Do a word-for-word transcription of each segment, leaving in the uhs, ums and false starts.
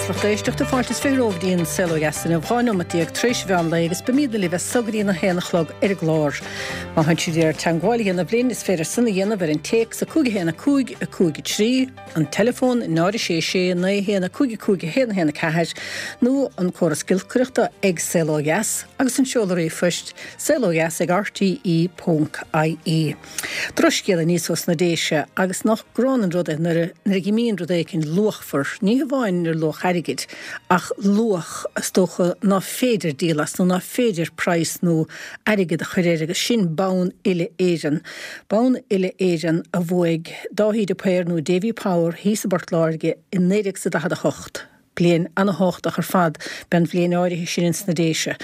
Agus lucht éisteachta fáilte is fiche romhaibh go dtí an Saol Ó Dheas inniu dhá nóimeat déag tar éis mheán lae agus beimidne libh as so go dtí a haon a chlog ar an gclár. Má tá sibh ag iarraidh teagmháil a dhéanamh linn is féidir san a dhéanamh ar an téacs a cúig a haon a cúig a cúig a trí, an teileafón náid a sé sé naoi a haon a cúig a cúig a haon a haon a ceathair nó an córas giolcaireachta ag Saol Ó Dheas agus an seoladh ríomhphoist saol ó dheas ag rte ponc ie. Drochscéal aníos ós na Déise agus nach gránna an rud é nuair a imíonn rud éicint luachmhar, ní hamháin ar luach airgid ach luach is dócha ná féidir díol as nó ná féidir praghas nó airgead a chur air agus sin bonn uile Éireann. Bonn uile Éireann a bhuaigh Dáithí de Paor nó Davy Power thíos i bPort Láirge i naoi déag is a daichead a hocht. Bliain an-thábhachtach ar fad b'é an bhliain áirithe sin ins na Déise.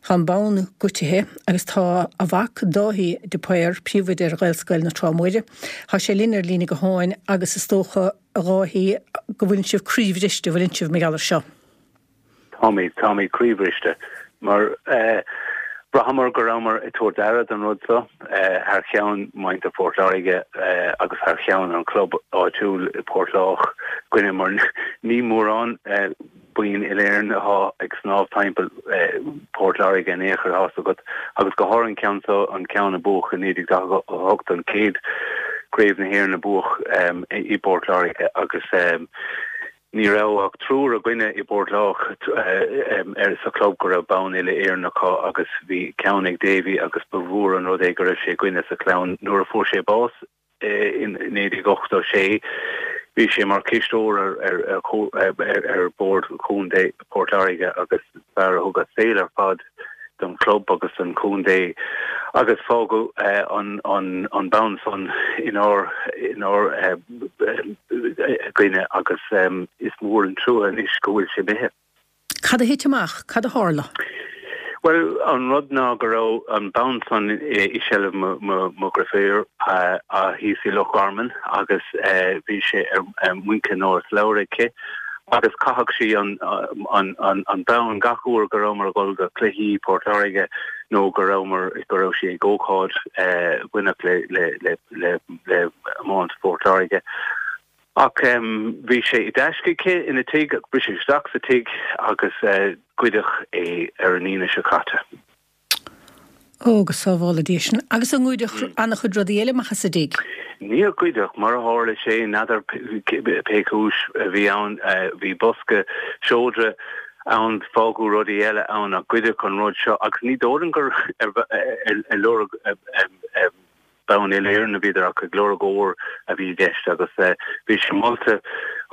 Tá an bonn goidte agus tá a mhac Dáithí de Paor, príomhoide ar Ghaelscoil na Trá Móire. Tá sé linn ar líne gutháin agus is dócha a Dháithí go bhfuil sibh croíbhriste bhfuil sibh mar gheall air seo. Táimid táimid croíbhriste mar eh, Bhraitheamar go rabhamar ag tabhairt aire don rud seo thar cheann muintir Phort Láirge agus thar cheann an chlub áitiúil i Port Lách againne mar ní mórán boinn uile-Éireann atá ag snámh timpeall Port Láirge in aon chor tá a fhios agat agus go háirithe an ceann seo an ceann a buadh i naoi déag daichead a hocht an chéad Craobh na hÉireann a buadh i bPort Láirge agus Ní raibh ach triúr againne i bPort Lách ar sa chlub go raibh bonn uile-Éireann acu agus bhí ceann ag Davy agus ba mhór an rud é go raibh sé againne sa chlann. Nuair a fuair sé bás in naoi déag ochtó sé bhí sé mar chisteoir ar ar Bhord Chontae Port Láirge agus fear a thug a saol ar fad don chlub agus don chontae agus fágadh an an an bonn san inár inár gcoinne agus is mór an trua anois go bhfuil sé imithe. Cad a thit amach? Cad a tharla? Bhuel, an rud ná go raibh an bonn san i seilbh mo mo dheirfiúr thíos i Loch Garman agus bhí sé ar muince nó ar slabhra aici agus chaitheadh sí an an an an bonn gach uair go rabhamar ag dul go cluichí Port Láirge nó go rabhamar go raibh sí ag ócáid bhainteach le le le le le iomáint Phort Láirge. Ach bhí sé i dtaisce aici ina tigh, briseadh isteach sa tigh agus goideadh é ar an Aoine seo caite. Ó, go sábhála Dia sinn. Agus an ngoideadh an-chuid rudaí eile amach as an dtigh? Níor goideadh, mar a tharla sé, n'fheadar pé cúis a bhí ann, bhí bosca seodra ann, fágadh rudaí eile ann ach goideadh an rud seo agus ní dóigh liom gur ar lorg bonn uile-Éireann a bhíodar ach ag lorg ór a bhí i gceist agus bhí sé molta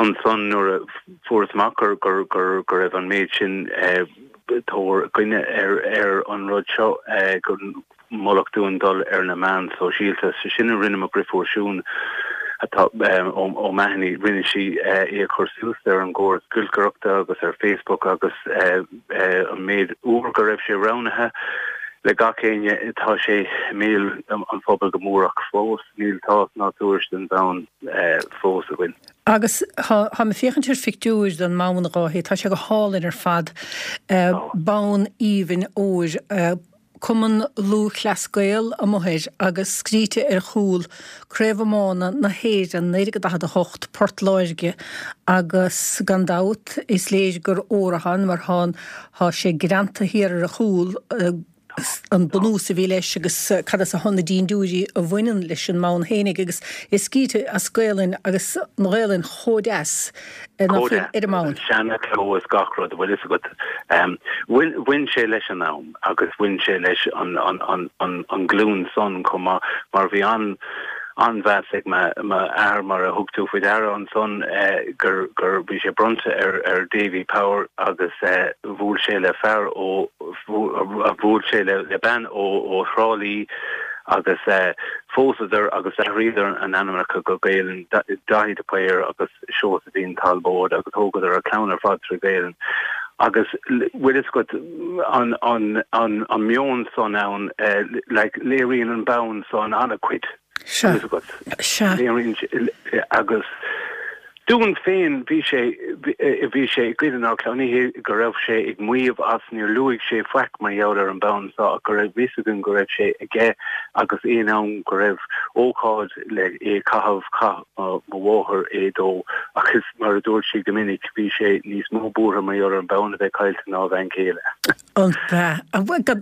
ansan nuair a fuarthas amach gur gur gur go raibh an méid sin tóir againne ar ar an rud seo gur moladh dúinn dul ar na meáin sóisialta. So sin a rinne mo dheirfiúr Siún atá O'Mahony, rinne sí é a chur suas ar an gcóras giolcaireachta agus ar Facebook agus an méid uair go raibh sé roghnaithe le gach éinne, tá sé i mbéal an phobail go mór ach fós níl tásc ná tuairisc den bhonn fós againn. Agus tá mé ag féachaint ar phictiúir den mbonn, a Dháithí, tá sé go hálainn ar fad, bonn aoibhinn óir, Cumann Lúthchleas Gael amuigh air agus scríte ar a chúl, Craobh Iomána na hÉireann naoi déag daichead a hocht, Port Láirge agus gan dabht is léir gur ór atá ann mar tá tá sé greanta thiar ar a chúl, an bunús a bhí leis agus cad as atá na dindiúirí a bhaineann leis an mbonn fhéinig agus é scríte as Gaelainn agus an Ghaelainn chomh deas ná fuil ar an mbonn. Seana-chló is gach rud, bhfuil fhios agat. Bhain sé leis an am agus bhain sé leis an nglúin san chomh maith mar bhí an an-mheas ag m'athair mar a thug tú faoi deara ansan gur gur bhí sé bronnta ar ar Davy Power agus bhuail sé le fear ó bhuail sé le le bean ó ó Thrá Lí agus phósadar agus d'athraíodar a n-ainmneacha go Gaelainn, Daithí de Paor agus Seosaimhín Talbóid agus thógadar a clann ar fad trí Ghaelainn agus bhfuil fhios agat an an an an meon san ann like léiríonn an bonn san an-chuid. Sea. Sea. Agus dúinn féin, bhí sé, bhí sé i gcuid inár gclann, ní hé go raibh sé ag maíomh as, níor luaigh sé faic mar gheall ar an bonn seo ach go raibh fhios againn go raibh sé aige agus aon am go raibh ócáid le é caitheamh chaith mo mháthair é dó agus mar a dúirt sí go minic bhí sé níos mó buartha mar gheall ar an bonn a bheith caillte ná a bhean chéile. An bea?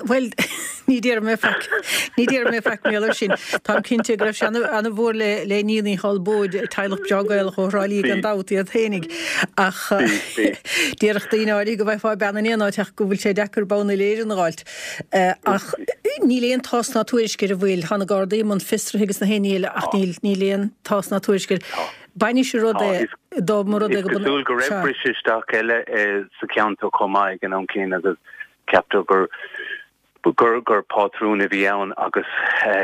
Bhuel ní déarfaidh mé faic ní déarfaidh mé faic mar gheall air sin. Táim cinnte go raibh sé ana-mhór le le Iníon Uí Chonchubhair, teaghlach breá Gaelach ó Thrá Lí gan dabht iad fhéinig. Ach déarfadh daoine áirithe go bhfaighfeá bean in aon áit ach go bhfuil sé deacair bonn uile-Éireann a dh'fháilt. Ach níl aon tásc ná tuairisc ar an bhfuil. Tá na Gardaí i mbun fiosraithe agus na haon ní eile ach níl níl aon tásc ná tuairisc air. Bainis an rud é dá mba rud é Is cosúil go raibh briseadh isteach eile sa cheantar chomh maith ag an am céanna agus ceaptar gur gur gur pátrún a bhí ann agus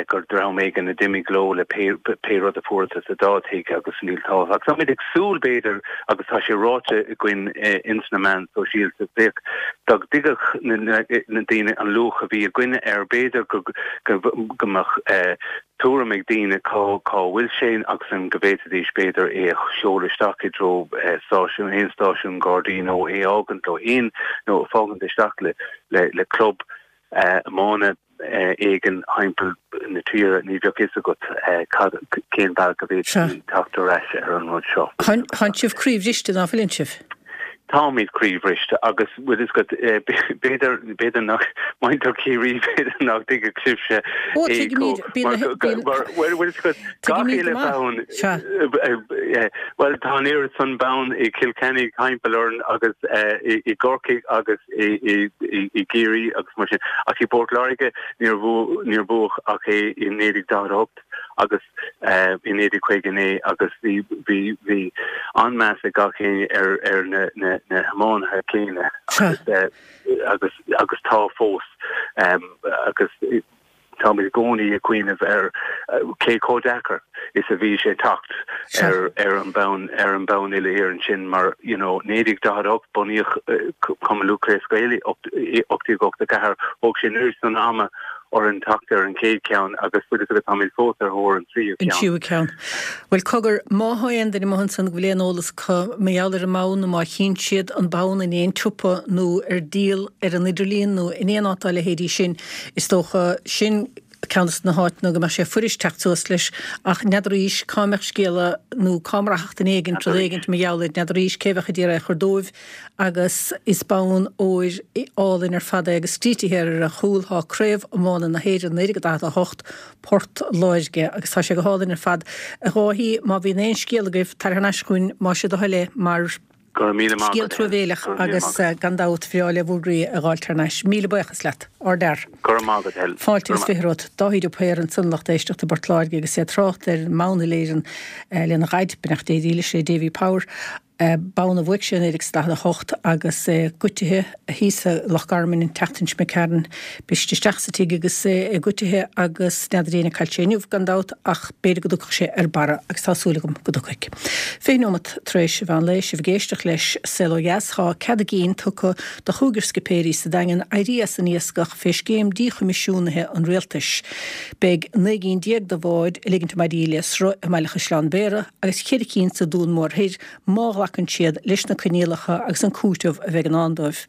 gur dream éigin a d'imigh leo le pé pé rud a fuarthas sa dá tigh agus níl tábhacht. Agus táimid ag súil b'fhéidir agus tá sé ráite againn ins na meáin sóisialta bheadh dá dtuigfeadh na na daoine an luach a bhí againne air b'fhéidir go go go mbeadh tuairim ag daoine cá cá bhfuil sé agus an go bhféadfaidís b'fhéidir é a sheoladh isteach i dtreo stáisiún aon stáisiún Gardaí nó é a fhágaint leo féin nó a fhágaint isteach le le le club iomána éigin thimpeall na tíre ní bheadh fhios agat cad cén bealach a bhféadfaí teacht ar ais ar an rud seo. Tánn sibh croíbhriste ná fuileann sibh? Táimid croíbhriste agus bhfuil fhios agat b'fhéidir b'fhéidir nach muintir Chiarraí b'fhéidir nach dtuigfeadh sibhse Ó tuigimid bíonn mar bhfuil fhios agat gach uile bonn bhuel tá an oiread san bonn i Cill Chainnigh thimpeall orainn agus i gCorcaigh agus i i gCiarraí agus mar sin ach i bPort Láirge níor níor buadh ach é i naoi déag daichead a hocht. agus i naoi déag caoga naoi agus bhí bhí bhí an-meas ag gach éinne ar ar na na na hiománaithe céanna agus agus agus tá fós agus táimid i gcónaí ag cuimhneamh ar cé chomh deacair is a bhí sé teacht ar ar an bonn ar an bonn uile-Éireann sin mar you know naoi déag daichead a hocht bunaíodh Cumann Lúthchleas Gael ocht déag ochtó ceathair thóg sé an oiread san ama orainn teacht ar an chéad cheann agus bhfuil fhios agat táimid fós ar thóir an tríú An ceann. tríú ceann. Bhuel cogar, má thá aon duine amuigh ansan go bhfuil aon eolas acu mar gheall ar an mbonn nó má chíonn siad an bonn in aon tsiopa nó ar díol ar an idirlíon nó in aon áit dá leithéidí sin, is dócha sin ceann de na háiteanna go mbeadh sé fuirist teacht suas leis ach n'fheadar arís cá mbeadh scéala nó cá mbraithfeadh duine éigint rud éigint mar gheall air, n'fheadar arís cé bheadh a d'iarraidh é a chur dóibh agus is bonn óir álainn ar fad é agus scríte thiar ar a chúl tá Craobh Iomána na hÉireann naoi déag daichead a hocht, Port Láirge agus tá sé go hálainn ar fad. A Dháithí, má bhíonn aon scéal agaibh, tar thar n-ais chugainn más é do thoil é mar Go raibh míle maith scéal agat, Helen. truamhéileach Go raibh míle agus maith agat. gan dabht bhreá le bhur gcroí a dh'fháilt thar n-ais. Míle buíochas leat. Ardfhear. Go raibh maith agat, Helen. Fáilte Go agus raibh maith. fiche romhat. Dáithí de Paor ansan lucht éisteachta i bPort Láirge agus é ag trácht ar an mbonn uile-Éireann lena dhaid, beannacht Dé dhílis é, Davy Power. Bonn a bhuaigh sé i naoi déag is daichead a hocht agus é goitithe thíos i Loch Garman an tseachtain seo imigh tharainn. B'iste isteach sa tigh agus é goitithe agus n'fheadar éinne cá bhfuil sé inniu gan dabht ach b'fhéidir go dtiocfadh sé ar barra agus tá súil agam go dtiocfaidh. Fiche nóimeat tar éis an mheán lae, sibh ag éisteacht leis Saol Ó Dheas, tá cead a gcinn tugtha do chúigear scipéirí sa Daingean éirí as an iascach fé scéim díchoimisiúnaithe an rialtais. Beidh naoi gcinn déag de bháid ag ligint a maidí le sruth i mBaile Chaisleáin Bhéarra agus ceithre cinn sa Dún Mór Thoir má ghlacann siad leis na coinníollacha agus an cúiteamh a bheidh i ndán dóibh.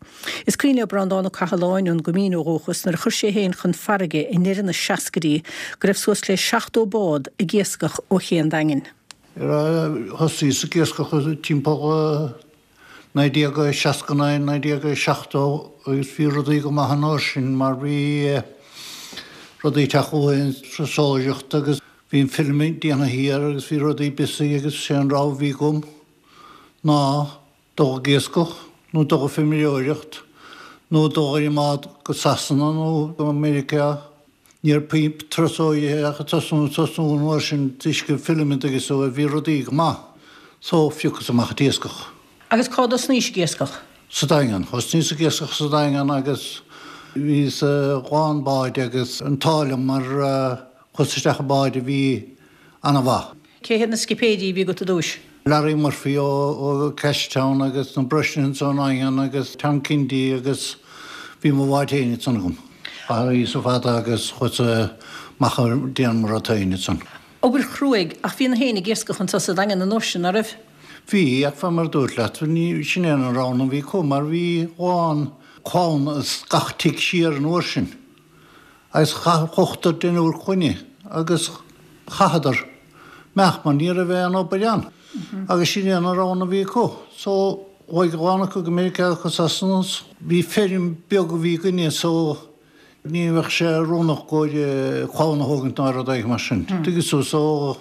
Is cuimhin le Breandán Ó Cathaláin ón gCoimín ó dhúchas nuair a chuir sé féin chun farraige i ndeireadh na seascaidí go raibh suas le seachtó bád ag iascach ó ché an Daingin. Thosaíos ag iascach timpeall naoi déag seasca naoi, naoi déag seachtó agus bhí rudaí go maith an uair sin mar bhí rudaí ag teacht chugainn turasóireacht agus bhí an filament déanta thiar agus bhí rudaí busy agus sé an rogha a bhí agam ná dul ag iascach nó dul ag feirmeoireacht nó dul ar an mbád go Sasana nó go Meiriceá. Ní raibh turasóirí ach ag tosnú tosnú an uair sin toisc filament agus so bhí rudaí go maith. So phiocas amach an t-iascach. Agus cá dtosnaís ag iascach? Sa Daingean. Thosnaíos ag iascach sa Daingean agus bhíos i lán báid agus an t-ádh liom mar chuas isteach i bád a bhí ana-mhaith. Cé hiad na scipéirí a bhí agat i dtúis? Larry Murphy ó Cashtown agus na Brosnans ón nDaingean agus Tom Kennedy agus bhí mo bhád féin ansan agam. Thosaíos fada agus chuas amach ag déanamh mo rud féin ansan. Obair chruaidh, ach bhí na héinne ag iascach anso sa Daingean an uair sin, ná raibh? Bhí, ach fé mar a dúirt leat, ní, sin é an rogha a bhí acu mar bhí lán clann as gach tigh siar an uair sin. Agus chaith ochtar deichniúr clainne agus chaitheadar imeacht mar ní raibh aon obair ann. Agus sin é an rogha a bhí acu. So chuaigh a lán acu go Meiriceá go Sasana. Bhí feirm beag a bhí againne so ní bheadh sé oiriúnach go clann a thógaint ná rud éigin mar sin. Tuigeann tú so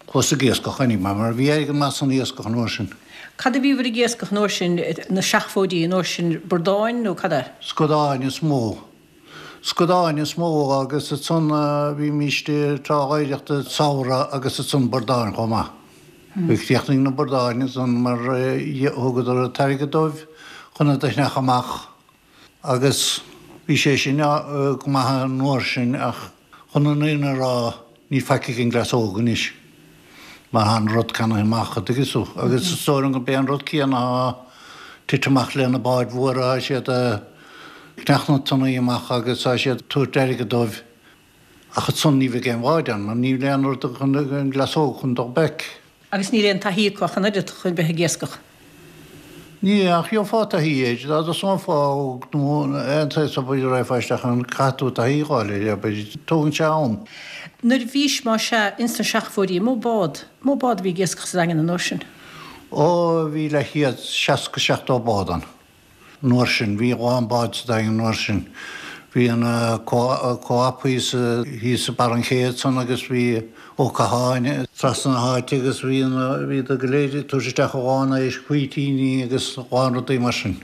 chuas ag iascach anyway mar bhí airgead maith san iascach an uair sin. Cad a bhíobhair ag iascach an uair sin, na seachfóidí an uair sin, bradáin nó cad é? Scadáin is mó. Scadáin is mó agus ansan bhímíst trá oidhreachta samhradh agus ansan bradáin chomh maith. Bhí chríochnaigh na bradáin ansan mar thugadar an t-airgead dóibh chun iad a shneachadh amach agus bhí sé sin go maith an uair sin ach chun an fhírinne a rá níl faic ag an gcleas óg anois. Mar tá an rud ceannaithe amach, an dtuigeann tú. Agus is dóigh liom gurb é an rud céanna atá tite amach le na báid mhóra, tá siad ag cneach na tonnaí amach agus tá siad ag tabhairt airgead dóibh. Ach ansan ní bheidh aon bháid ann mar níl aon rud chun an gcleas óg chun dul back. Agus níl aon taithí acu ach an oiread chun bheith ag iascach. Ní, ach gheofá taithí air, dá dtosófá óg nó aon tsaghas obair a raghfá isteach ann, caithfidh tú taithí a fháil air, abair, tógann sé am. Nuair a bhís, más ea, ins na seachfóidí, an mó bád, mó bád a bhí ag iascach sa Daingean an uair sin? Ó, bhí leathchéad, seasca, seachtó bád ann an uair sin, bhí a lán bád sa Daingean an uair sin. Bhí an Co-op thíos thíos i barr an ché ansan agus bhí Ó Catháin trasna na háite agus bhí an bhíodar go léir ag tabhairt isteach a lán éisc, faoitíní agus a lán rudaí mar sin.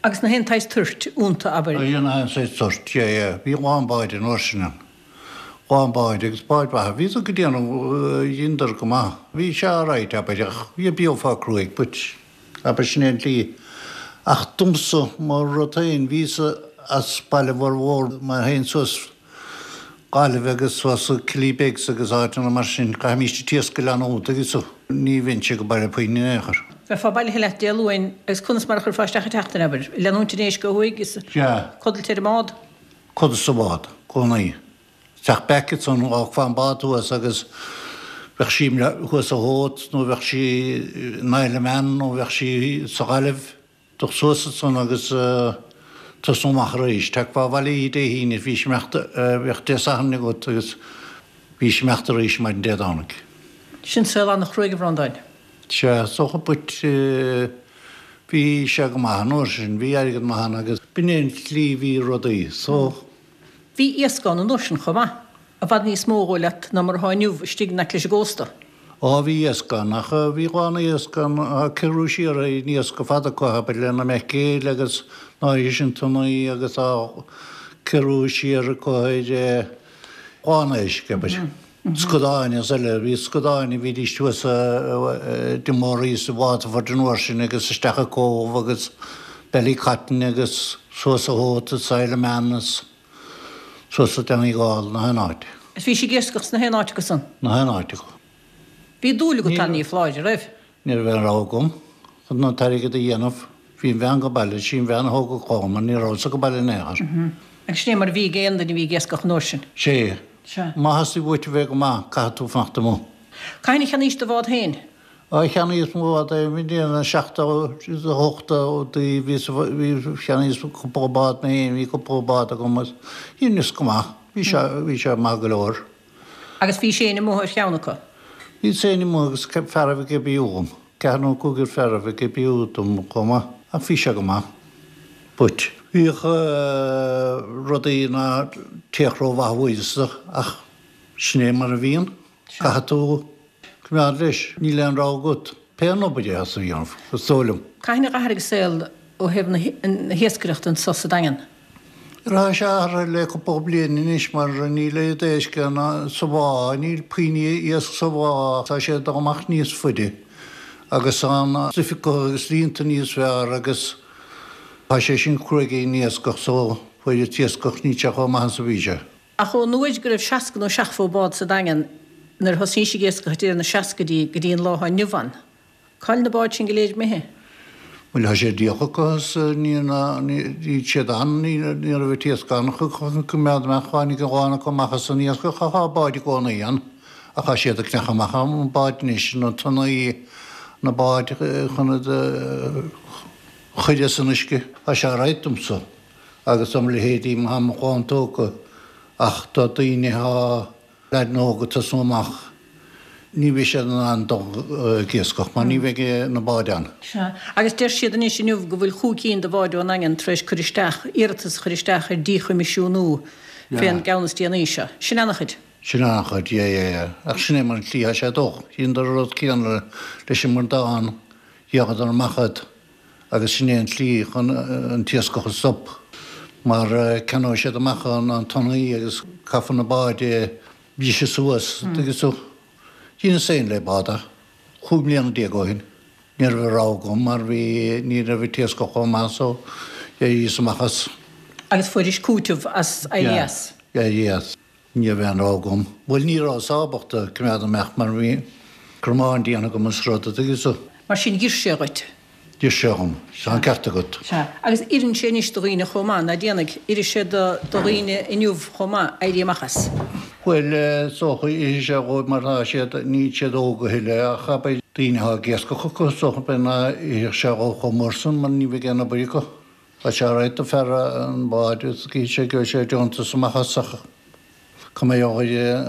Agus na haon tsaghas toirt iontu, abair? Bhí na haon saghas toirt, yeah, yeah. Bhí a lán báid an uair sin ann. A lán báid agus báid mhaithe. Bhíodar go déanamh, dheineadar go maith. Bhí sé alright, abair, ach bheifeá cruaidh, but abair sin é an tslí. Ach domsa, mo rud féin, bhíos-sa as baile mhór má théinn suas Gaillimh agus suas Killybegs agus áiteanna mar sin, chaithfimíst an t-iasc a leanúint agus ní bheinnse go baile puinn in aon chor. Bheifeá bailithe leat Dé Luain agus conas mar a chuirfeá isteach an tseachtain, abair, leanúint an éisc ó thuaidh is codlait ar an mbád? Codladh sa bhád, cónaí. Teacht back ansan, fhágfá an bád thuas agus bheadh sí thuas sa Howth nó bheadh sí in Isle of Man nó bheadh sí sa Ghaillimh. Dul suas ansan agus tosnú amach arís. Tagfá abhaile oíche Dé hAoine, bhís imeacht, bheadh Dé Sathairn agat agus bhís imeacht arís maidin Dé Domhnaigh. Sin saol an-chruaidh, a Bhreandáin. Sea, is dócha, but bhí sé go maith an uair sin, bhí airgead maith ann agus b'in é an tslí bhí rudaí so. Bhí iasc ann an uair sin chomh maith, i bhfad níos mó, dhóigh leat, ná mar atá inniu istigh in aice leis an gcósta. Á, bhí iasc ann, ach bhí a lán iasc ann, á, ciorrú siar ar an iasc go fada acu, abair, le na maicréil agus na háirithe sin tonnaí agus á ciorrú siar acu ar a lán éisc, abair. Scadáin is eile, bhí scadáin a bhídís thuas i Mór is i Waterford an uair sin agus isteach i Cobh agus Ballycotton agus suas a Howth is Isle of Man is suas i Donegal, na haon áit. Is bhí sí ag iascach sna haon áit acu san? Na haon áit acu. Bhí dúil agat ann, ní foláir, an raibh? Ní raibh aon rogha agam chun an t-airgead a dhéanamh. Bhí an bhean go baile, sí an bhean a thóg an chlann mar ní rabhas-sa go baile in aon chor. Agus sin é mar a bhí ag aon duine a bhí ag iascach an uair sin? Sea. Sea. Má theastaigh uait a bheith go maith, caithfidh tú fanacht amuigh. Cathain a cheannaís do bhád féin? Á, cheannaíos mo bhád i mbliain seachtó a hocht bhíos, bhí, cheannaíos cúpla bád mé féin, bhí cúpla bád agam agus dheineas go maith, bhí sé, bhí sé maith go leor. Agus bhís féin amuigh ar cheann acu? Bhíos féin amuigh agus fearaibh ag oibriú dhom, ceathair nó cúigear fearaibh ag oibriú dom chomh maith, ach bhí sé go maith. But. Bhíodh rudaí ná téadh rómhaith uaidh ach sin é mar a bhíonn, caithfidh tú coimeád leis, níl aon rogha agat, pé an obair é atá tú a dhéanamh, is dóigh liom. Cathain a dh'athraigh an saol ó thaobh na hiascaireachta anso sa Daingean? Tá sé athraithe le cúpla bliain anois mar níl oiread éisc ann sa bhá, níl puinn iasc sa bhá, tá sé ag dul amach níos faide agus tá an stuif acu agus líonta níos fearr agus tá sé sin cruaidh ar an iascach so fuair an t-iascach níl sé chomh maith is a bhí sé. Ach ón uair go raibh seasca nó seachtó bád sa Daingean nuair a thosnaís ag iascach ag deireadh na seascaidí go dtí an lá atá inniu ann, Cá'il na báid sin go léir imithe? Bhuel, tá sé díolta acu is níl siad ann, ní raibh an t-iasc ann chun coimeád amach, tháinig a lán acu amach as an iascach ach tá báid i gcónaí ann ach tá siad ag cneachadh amach na báid anois, na tonnaí, na báid chun iad a chur as an uisce. Tá sé alright domsa agus dom leithéidí, má tá mo chlann tógtha. Ach do daoine atá leaideanna óga ag tosnú amach, ní bheidh siad in ann dul ag iascach mar ní bheidh na báid ann. Sea. Agus deir siad anois inniu go bhfuil chúig cinn de bháid ón nDaingean tar éis cur isteach, iarratas a chur isteach ar díchoimisiúnú fén gceann is déanaí seo. Sin ana-chuid. Sin ana-chuid, yeah, yeah, yeah. Ach sin é mar an tslí atá sé ag dul. Dheineadar an rud céanna leis an mBradán, dhíoladar amach iad agus sin é an tslí chun an t-iascach a stop mar ceannóidh siad amach an tonnaí agus caithfear na báid a bhriseadh suas, tuigeann tú. Dheineas féin le bád é, chúig mbliana déag ó shin. Ní raibh a rogha agam mar bhí, ní raibh an t-iascach chomh maith so d'éiríos amach as. Agus fuairis cúiteamh as éirí as? Yeah, éirí as. Ní raibh aon rogha agam. Bhuel ní rabhas ábalta coimeád amach mar bhí cromán déanta agam is rud, a' dtuigeann tú. Mar sin d'oir sé dhuit? D'oir sé dhom. Tá an ceart agat. Sea. Agus oireann sé anois do dhaoine chomh maith, ná déanfaidh? Oirfidh sé do dhaoine inniu chomh maith éirí amach as? Bhuel, is dócha, oirfidh sé dhóibh mar tá siad, níl siad óg a thuilleadh ach abair daoine atá ag iascach acu, is dócha b'fhéidir ná oirfeadh sé dhóibh chomh mór san mar ní bheidh aon obair acu. Tá sé alright do fear an bháid is gheobhaidh sé, gheobhaidh sé deontas amach as ach cá mbeidh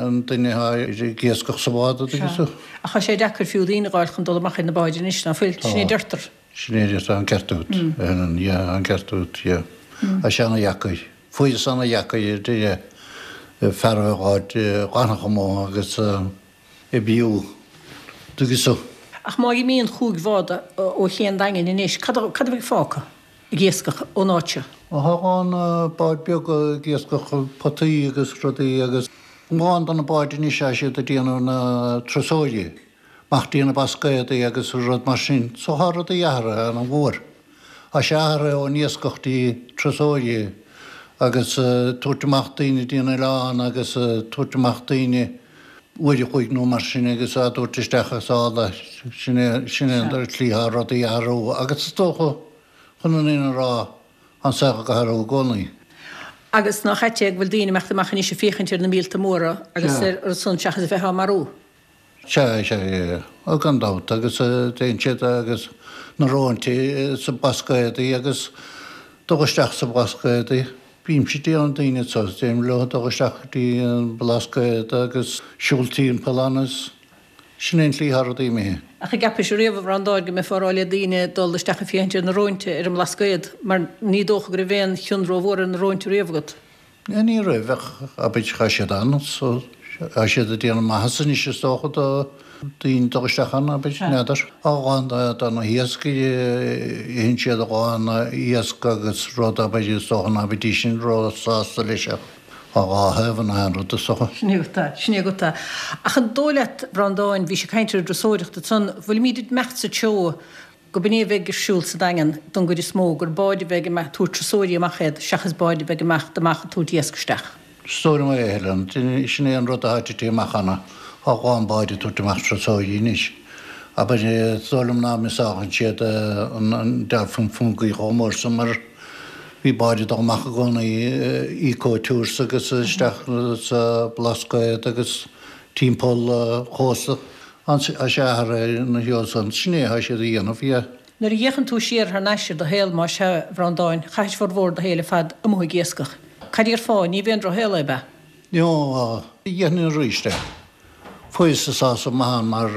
an duine atá ag iascach sa bhád, a dtuigeann tú. Ach tá sé deacair fiú daoine a dh'fháil chun dul amach ar na báid anois, ná fuil? Sin é a deirtear. Sin é a deirtear, tá an ceart agat, a Helen, yeah, tá an ceart agat, yeah. Tá sé ana-dheacair. Fuaireas ana-dheacair ar deireadh fear a dh'fháilt dh'fhanfadh amuigh agus oibriú, tuigeann tú. Ach má imíonn chúig bhád ó ché an Daingin anois, cad a bheidh fágtha? ag iascach ón áit seo. Tá a lán báid beaga ag iascach potaí agus rudaí agus a lán de na báid anois tá siad ag déanamh na turasóirí amach dtí na Blascaodaí agus rud mar sin. So tá rudaí athraithe ana mhór. Tá sé athraithe ón iascach dtí turasóirí agus tabhairt amach daoine dtí an oileán agus tabhairt amach daoine uair a chloig nó mar sin agus á dtabhairt isteach as ála. Sin é sin é an tslí atá rudaí ag athrú agus is dócha Chun an fhírinne a rá, tá an saol ag athrú i gcónaí. Agus nach ait é go bhfuil daoine ag imeacht amach anois ag féachaint ar na míolta móra agus ar an san seachas a bheith á marú? Sea, sea, sea. Ó, gan dabht. Agus téann siad agus na róinte sa Blascaodaí agus dul isteach sa Blascaodaí. Bímse ag déanamh daoine anso, deirim leo dul isteach go dtí an Blascaod agus siúl timpeall ann is. Sin é an tslí atá rudaí imithe. Ach an gceapais riamh, a Bhreandáin, go mbeifeá ag rá le daoine dul isteach ag féachaint ar na róinte ar an mBlascaod, mar ní dócha go raibh aon chion rómhór ar na róinte riamh agat? Ní raibh, ach abair tá siad ann so tá siad ag déanamh maitheasa anois is dócha do daoine dul isteach ann, abair, n'fheadar. A lán de na hiascairí, itheann siad a lán iasc agus rud, abair, is dócha ná beidís sin ró-sásta leis ach. Tá dhá thaobh in aon rud, is dócha. Sin é agat é, sin é agat é. Ach an dóigh leat, Bhreandáin, bhís ag caint ar an dturasóireacht ansan, bhfuilimíd ag imeacht sa treo go b'in é a bheidh ar siúl sa Daingean don gcuid is mó, gur báid a bheidh ag tabhairt turasóirí amach iad seachas báid a bheidh ag imeacht amach ag tabhairt iasc isteach? Is dóigh liom é, a Helen. Sin é an rud atá tite amach cheana. Tá a lán báid ag tabhairt amach turasóirí anois. Abair, is dóigh liom ná misálann siad an Dolphin Fungie chomh mór san mar Bhí báid ag dul amach i gcónaí, eco tours agus isteach sa Blascaod agus timpeall an chósta. Tá sé athraithe ina threo san. Sin é atá siad a dhéanamh, yeah. Nuair a fhéachann tú siar thar n-ais ar do shaol, más ea, a Bhreandáin, chaithis formhór do shaoil ar fad amuigh ag iascach. Cad déarfá, ní b'é an drochshaol é, ab ea? No, dhéanfainn arís é. Fuaireas sásamh maith ann mar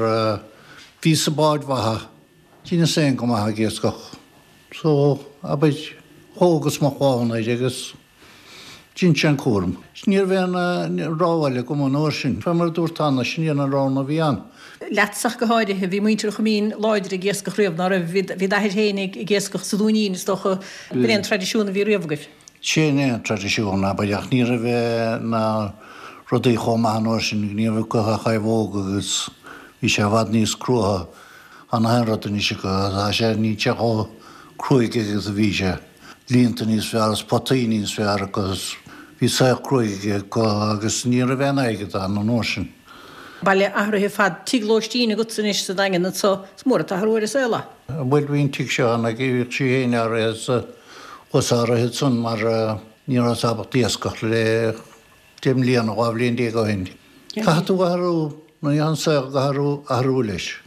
bhí sa báid mhaithe. Dheineas féin go maith ag iascach. So, abair, thógas mo chlann air agus dhein sé an cúram. Ní raibh aon rogha eile agam an uair sin. Fé mar a dúrt cheana, sin í an rogha a bhí ann. Leatsa ach go háirithe, bhí muintir Choimín láidir ag iascach riamh, ná raibh? Bhí d'athair féin ag iascach sa Dúinín, is dócha. B'in é an traidisiún a bhí riamh agaibh. Sin é an traidisiún, abair, ach ní raibh na rudaí chomh maith an uair sin, ní raibh acu ach naomhóg agus bhí sé i bhfad níos cruaithe. Tá na haon rud anois acu, tá sé, níl sé chomh cruaidh agus a bhí sé. Líonta níos fearr is potaí níos fearr acu is bhí saol cruaidh acu agus ní raibh aon airgead ann an uair sin. Baile athraithe ar fad. Tigh lóistín agatsa anois sa Daingean anso. Is mór an t-athrú ar an saol é. Bhuel bhí an tigh seo ann ag bhíodh sí fhéin áirithe is thuas áirithe ansan mar ní rabhas ábalta iascach le deich mbliana, dhá bhliain déag ó shin. Caithfidh tú athrú, nuair atá an saol ag athrú, athrú leis.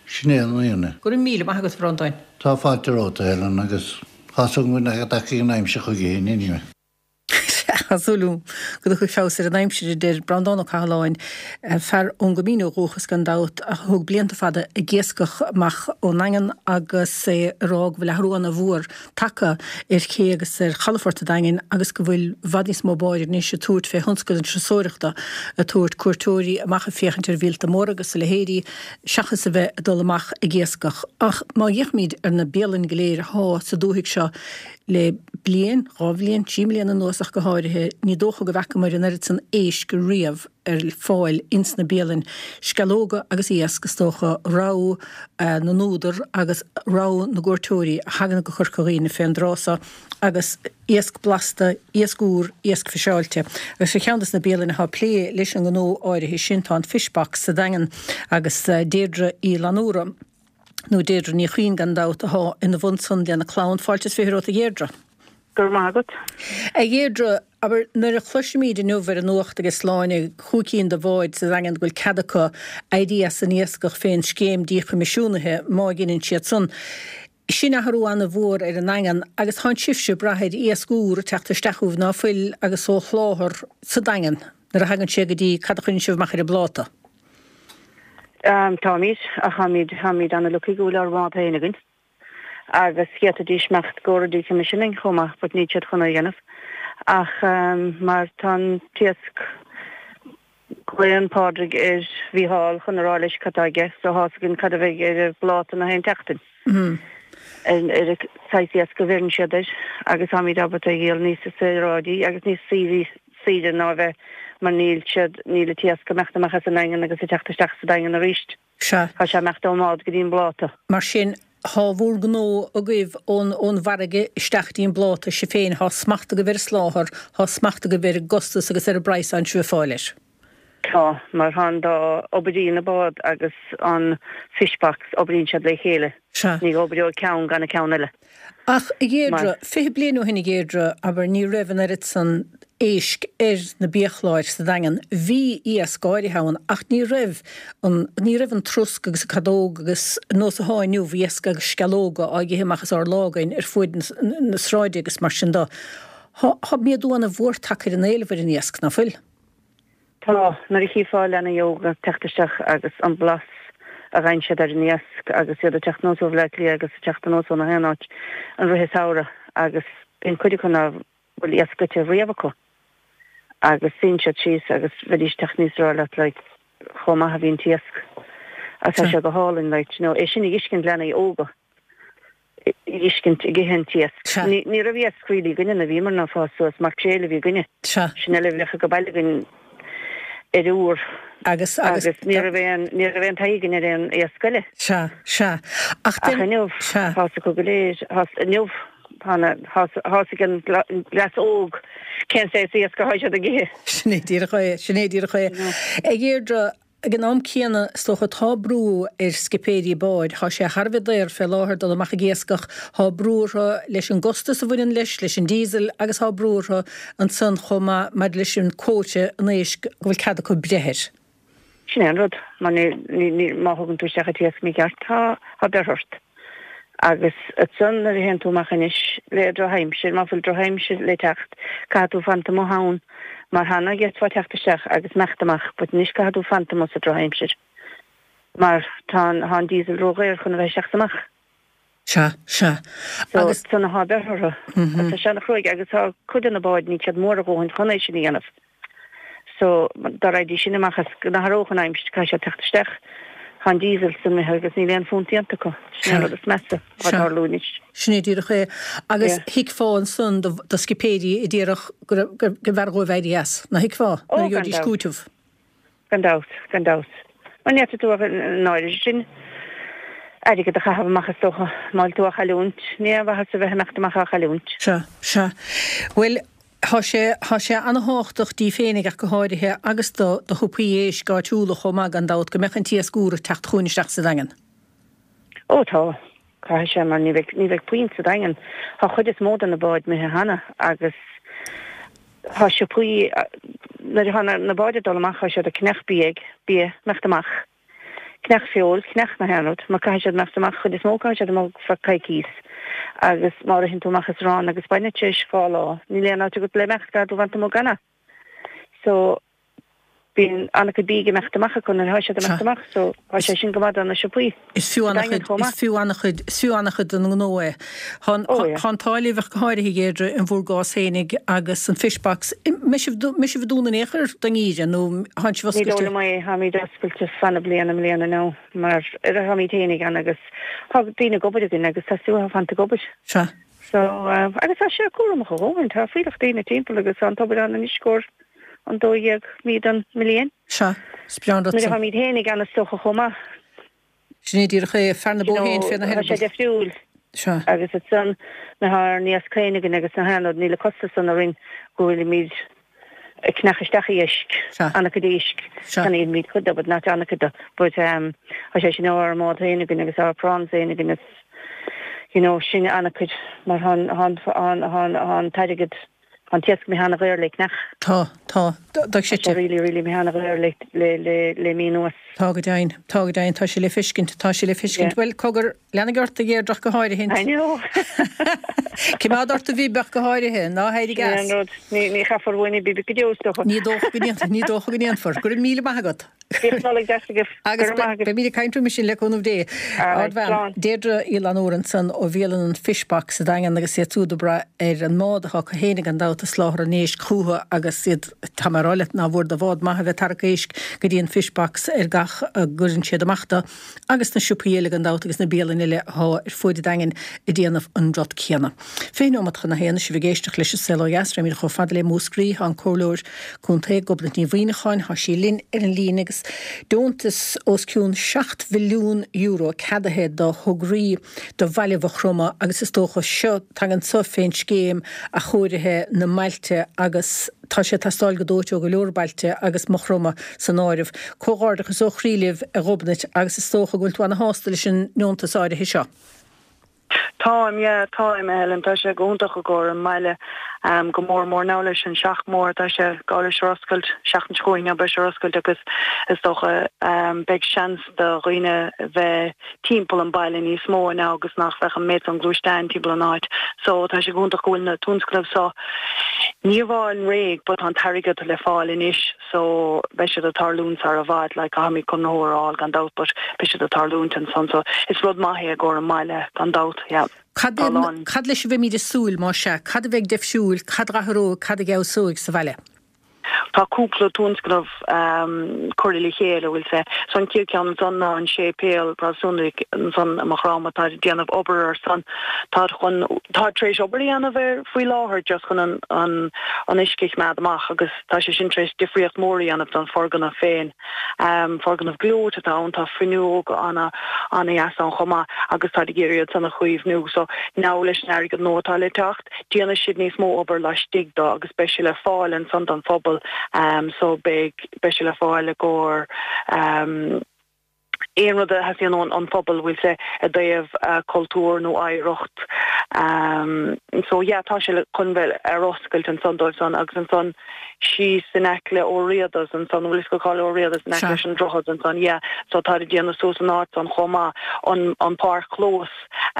Sin é an fhírinne. Go raibh míle maith agat, a Bhreandáin. Tá fáilte romhat, a Helen, agus tá súil agam go dtiocfaidh an aimsir chuige féin anyway. Sea, Tá súil agam go dtiocfaidh feabhas ar an aimsir, a deir Breandán Ó Cathaláin, fear ón gCoimín ó dhúchas gan dabht, a thug blianta fada ag iascach amach ón nDaingean agus é ag rá go bhfuil athrú ana-mhór tagtha ar ché agus ar chalafort an Daingin agus go bhfuil i bhfad níos mó báid anois ag tabhairt fé thionscal na turasóireachta, ag tabhairt cuairteoirí amach ag féachaint ar mhíolta móra agus a leithéidí seachas a bheith ag dul amach ag iascach. Ach má fhéachaimid ar na bialanna go léir athá sa dúthaigh seo le bliain, dhá bhliain, trí mbliana anuas ach go háirithe, ní dócha go bhfeacamar an oiread san éisc riamh ar fáil ins na bialainn. Sceallóga agus iasc, is dócha, rogha na n-údar agus rogha na gcuairteoirí a thagann go Corca Dhuibhne fén dtráth so, agus iasc blasta, iasc úr, iasc fiseáilte. Agus ar cheann des na bialainn atá ag plé leis an ngnó áirithe sin tá an Fish Box sa Daingean agus Deirdre Uí Fhlannúra, nó Deirdre Ní Chuinn gan dabht, athá ina bhun san lena clann. Fáilte is fiche romhat a Dheirdre. Go raibh maith agat. A Dheirdre, abair, nuair a chloisimíd inniu ar an nuacht ag Sláine chúig cinn de bháid sa Daingean go bhfuil cead acu éirí as an iascach fén scéim díchoimisiúnaithe, má dheineann siad san, sin athrú ana-mhór ar an nDaingean agus tánn sibhse ag brath ar iasc úr ag teacht isteach chugaibh ná fuil agus ó sholáthar sa Daingean nuair a thagann sé go dtí cad a chuireann sibh amach ar an bpláta. Táimid, ach táimid, táimid ana-lucky go bhfuil ár mbád féin againn agus d'fhéadfaidís imeacht go decommissioning chomh maith but níl siad chun é a dhéanamh ach mar tá an t-iasc, glaonn Pádraig ar Mhícheál chun a rá leis cad tá aige so thá's againn cad a bheidh ar an bpláta na haon tseachtain ar an saghas iasc a bheireann siad air agus táimid ábalta é a dhíol níos saoráidí agus níos saoire saoire ná a bheith mar níl siad, níl an t-iasc ag imeacht amach as an nDaingean agus ag teacht isteach sa Daingean arís. Sea. Tá sé ag imeacht ón mbád go dtí an bpláta. Mar sin, thá bhúr ngnó agaibh ón, ón bhfarraige isteach dtí an bpláta, sibh féin, thá smacht agaibh ar an soláthar, thá smacht agaibh ar an gcostas agus ar an bpraghas atánn sibh ag fáil air. Tá, mar thá an dá, oibríonn an bád agus an fish box, oibríonn siad le chéile. Sea. Ní oibreoidh ceann gan an ceann eile. Ach, a Dheirdre, Mar. fiche bliain ó shin, a Dheirdre, abair, ní raibh an oiread san éisc ar na biachláir sa Daingean. Bhí iasc áirithe ann ach ní raibh an, ní raibh an trosc agus an cadóg agus nós athá inniu, iasc agus sceallóga á n-ithe amach as ár lámha againn ar fuaid na, na sráide agus mar sin do. Thá, thá méadú ana-mhór tagtha ar an éileamh ar an iasc, ná fuil? Tá, nuair a chífeá leanaí óga ag teacht isteach agus an blas a fhaigheann siad ar an iasc agus iad ag teacht anuas ó Bhleá Cliath agus ag teacht anuas ó na haon áit i rith an samhradh agus bíonn cuid acu ná bhfuil iasc ite riamh acu agus suíonn siad síos agus bheidís ag teacht aníos ag rá leat like chomh maith a bhí an t-iasc agus tá sé go hálainn like you know é sin a dh'fheiscint leanaí óga. dh'fheiscint ag ithe an t-iasc. Sea. Ní, ní raibh iasc really againne nuair a bhíomar ag fás suas, maicréil a bhí againne. Sea. Sin uile a bheadh ag baile againn ar uair. Agus, agus. Agus ní raibh aon, ní raibh aon taithí againn ar aon iasc eile. Sea, sea. Ach Ach den, inniu, sea. tá's acu go léir, tá's, inniu, tá na, tá's, tá's ag an gcleas óg cén saghas iasc atá siad ag ithe. Sin é díreach é, sin é díreach é. You know. A Dheirdre, Ag an am céanna, is dócha, tá brú ar scipéirí báid. Tá sé thar a bheith daor fé láthair dul amach ag iascach. Tá brú orthu leis an gcostas a bhaineann leis, leis an diesel agus tá brú orthu ansan chomh maith maidir leis an quota an éisc go bhfuil cead acu breith air. Sin é an rud, mar ní, ní, ní, má thugann tú isteach an t-iasc mícheart, tá, tá beart ort. Agus ansan nuair a théann tú amach anois le drochaimsir, má fuil drochaimsir le teacht, caithfidh tú fanacht amuigh ann mar cheana d'fhéadfá teacht isteach agus imeacht amach but anois caithfidh tú fanacht amuigh sa drochaimsir mar tá an, tá an diesel ródhaor chun a bheith isteach is amach. Sea, sea. So, Agus. san atá beart orthu. Agus tá sé ana-chruaidh agus tá cuid de na báid, níl siad mór a dhóthain chun é sin a dhéanamh. So, dá raghaidís sin amach is go n-athródh an aimsir, caithfidh siad teacht isteach. Tá an diesel san imithe agus níl aon phunt déanta acu. Sin é an rud is measa atá ag tarlú anois. Sin é díreach é. Agus Yeah. thuigfeá ansan do, do scipéirí a déarfadh go raibh, go, go mb'fhearr dhóibh éirí as. Nach dtuigfeá? Ó, Nuair a gan gheobhaidís dabht. cúiteamh. Gan dabht, gan dabht. Mar ní fhéadfaidh tú ach an áirithe sin airgead a chaitheamh amach is dócha, má bhfuil tú á chailliúint. Ní aon mhaitheas a bheith ag imeacht amach á chailliúint. Sea, sea. Bhuel, Thá sé, thá sé ana-thábhachtach daoibh féinig ach go háirithe agus do, do shiopaí éisc áitiúla chomh maith gan dabht, go mbeadh an t-iasc úr ag teacht chugainn isteach sa Daingean. Ó tá. Caithfidh sé mar ní bheidh, ní bheidh puinn sa Daingean. Thá chuid is mó de na báid imithe cheana agus thá siopaí, nuair athá na, na báid ag dul amach thá siad ag ceannach bia, bia, imeacht amach. Cneach feoil, cneach na haon rud, mar caithfidh siad imeacht amach, chuid is mó caithfidh siad amach feadh coicís agus má ritheann tú amach is arán agus bainne tar éis dhá lá, níl aon áit agat le imeacht gar do bhaint amach ganna. So bíonn an-chuid bídh ag imeacht amach acu nuair atá siad ag imeacht amach so tá sé sin go maith do na siopaí. Is fiú an-chuid, is fiú an-chuid, is fiú an-chuid don ngnó é. Tá an t-ádh libh ach go háirithe a Dheirdre in bhur gcás fhéinig agus an Fish Box. Mbeidh sibh, mbeidh sibh ag dúnadh in aon chor don ngeimhreadh nó tánn sibh Ní oscailte? dóigh liom é, táimid oscailte fan na bliana i mbliana now mar táimid fhéinig ann agus tá daoine ag obair againn agus tá siad ag fanacht ag obair. Sea. So, agus tá sé cúramach a dhóthain, tá fuílleach daoine timpeall agus tá an tobar ann anois i gcomhair an dó dhéag mí den mbliain. Sea, is breá an rud Nuair san. a tháimid fhéinig ann is dócha chomh maith. Sin é díreach é, fear na bó féin féna Tá sé heireaball. difriúil. Sea. Agus ansan nuair atá ár n-iasc féin againn agus na haon rud, níl an costas san orainn go bhfuilimid ag cneach isteach iasc, Sea. an-chuid éisc. Sea. Ceannaímid cuid de but not an-chuid de but um, tá sé sin ár mbád féin againn agus ár prawns féin againn is you know, sin an-chuid mar tá an tá an tá an t-airgead an t-iasc imithe an-dhaor le cneach. Tá, tá, tá sé Tá really, really imithe an-dhaor le le le le mí anuas. Tá go deimhin, tá go deimhin, tá sé le feiscint, tá sé le feiscint. Yeah. Bhuel, cogar, lean ort a Dheirdre ach go háirithe. I know. Coimeád ort a bhib ach go háirithe, ná héirí Sin an as. rud. Ní ní chaithfear uainn bíbe go deo is dócha. Ní dócha go ndéanfar, ní dócha go ndéanfar. Go raibh míle maith agat. Bíodh Nollaig deas agaibh. Agus Go raibh maith agat. beimid ag caint roimhe sin le cúnamh Dé. Alright, Ardbhean, slán. Deirdre Uí Fhlannúir ansan ó bhialann an Fishbox sa Daingean agus iad siúd ag brath ar an mbád atá acu féin gan dabht ag soláthar an éisc chucu agus iad tá mé ag rá leat nach mór do bhád maith a bheith ag tarrac éisc go dtí an Fishbox ar gach a gcuireann siad amach dó agus na siopaí eile gan dabht agus na bialanna eile atá ar fuaid an Daingin ag déanamh an rud céanna. Fiche nóiméad chun a haon sibh ag éisteacht leis an Saol Ó Dheas, rachaimid chomh fada le Múscraí, tá an comhairleoir contae Gobnait Ní Mhuineacháin, tá sí linn ar an líne agus deontas os cionn seacht mhilliún euro ceadaithe do thograí do bhaile Mhaigh Chromtha agus is dócha seo tagann seo fén scéim athchóirithe na mbailte agus tá sé ag teastáil go dóite ó go leor bailte agus Maigh Chromtha san áireamh. Comhghairdeachas ó chroí libh a Ghobnait agus is dócha go bhfuil tú ana-shásta leis an ndeontas áirithe seo. Táim, yeah, táim, Helen, tá sé go hiontach i gcomhair an mbaile um, go mór mór now leis an Seach Mór tá sé gá leis ar oscailt seachtain seo chugainn beidh sé ar oscailt agus is dócha um, beidh seans do dhaoine bheith timpeall an baile níos mó now agus nach bheadh an méid an gluaisteán timpeall an áit. So tá sé go hiontach go bhfuil na tionscnaimh seo ní bháil réidh but an t-airgead le fáil anois so beidh siad ag tarlúint sar i bhfad le caithfimid conraitheoir a fháil gan dabht but beidh siad ag tarlúint ansan so is rud maith é i gcomhair an mbaile gan dabht yeah. Cad Tá lán. cad leis a bheimid ag súil má sea, cad a bheidh difriúil, cad a athróidh, cad a fheabhsóidh sa bhaile. Tá cúpla tionscnamh um, curtha le chéile bhfuil sé so an chéad cheann ansan ná an séipéal Protastúnach ansan i Maigh Chromtha tá déanamh obair ar san tá chun tá tar éis obair a dhéanamh ar faoi láthair just chun an an an uisce a choimeád amach agus tá sé sin tar éis difríocht mór a dhéanamh don foirgneamh féin. Um, foirgneamh gleoite atá ann tá fuinneog ana ana dheas ann chomh maith agus tá ag iarraidh san a chaomhnú so now leis an airgead nua atá le teacht déanfaidh siad níos mó obair laistigh dó agus beidh sé le fáil ansan don phobal um, so beidh beidh sé le fáil i gcomhair um, aon rud a theastaíonn ón an phobal bhfuil sé i dtaobh uh, cultúr nó oidhreacht um, so yeah, tá sé le chun bheith ar oscailt ansan dóibh san agus ansan síos in aice le Ó Riada's ansan bhfuil go cáil Ó Riada's in aice leis an droichead ansan yeah, so tá déanamh suas an áit an chomh maith an an páirc chlós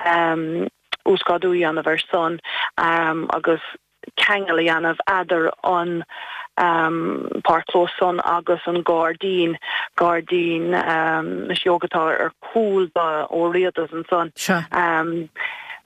um, uasghrádú a dhéanamh ar san um, agus ceangal a dhéanamh eadar an um, páirc chlós san agus an gairdín gairdín um, na sióg atá ar cúl do Ó Riada's ansan. Sea. Um,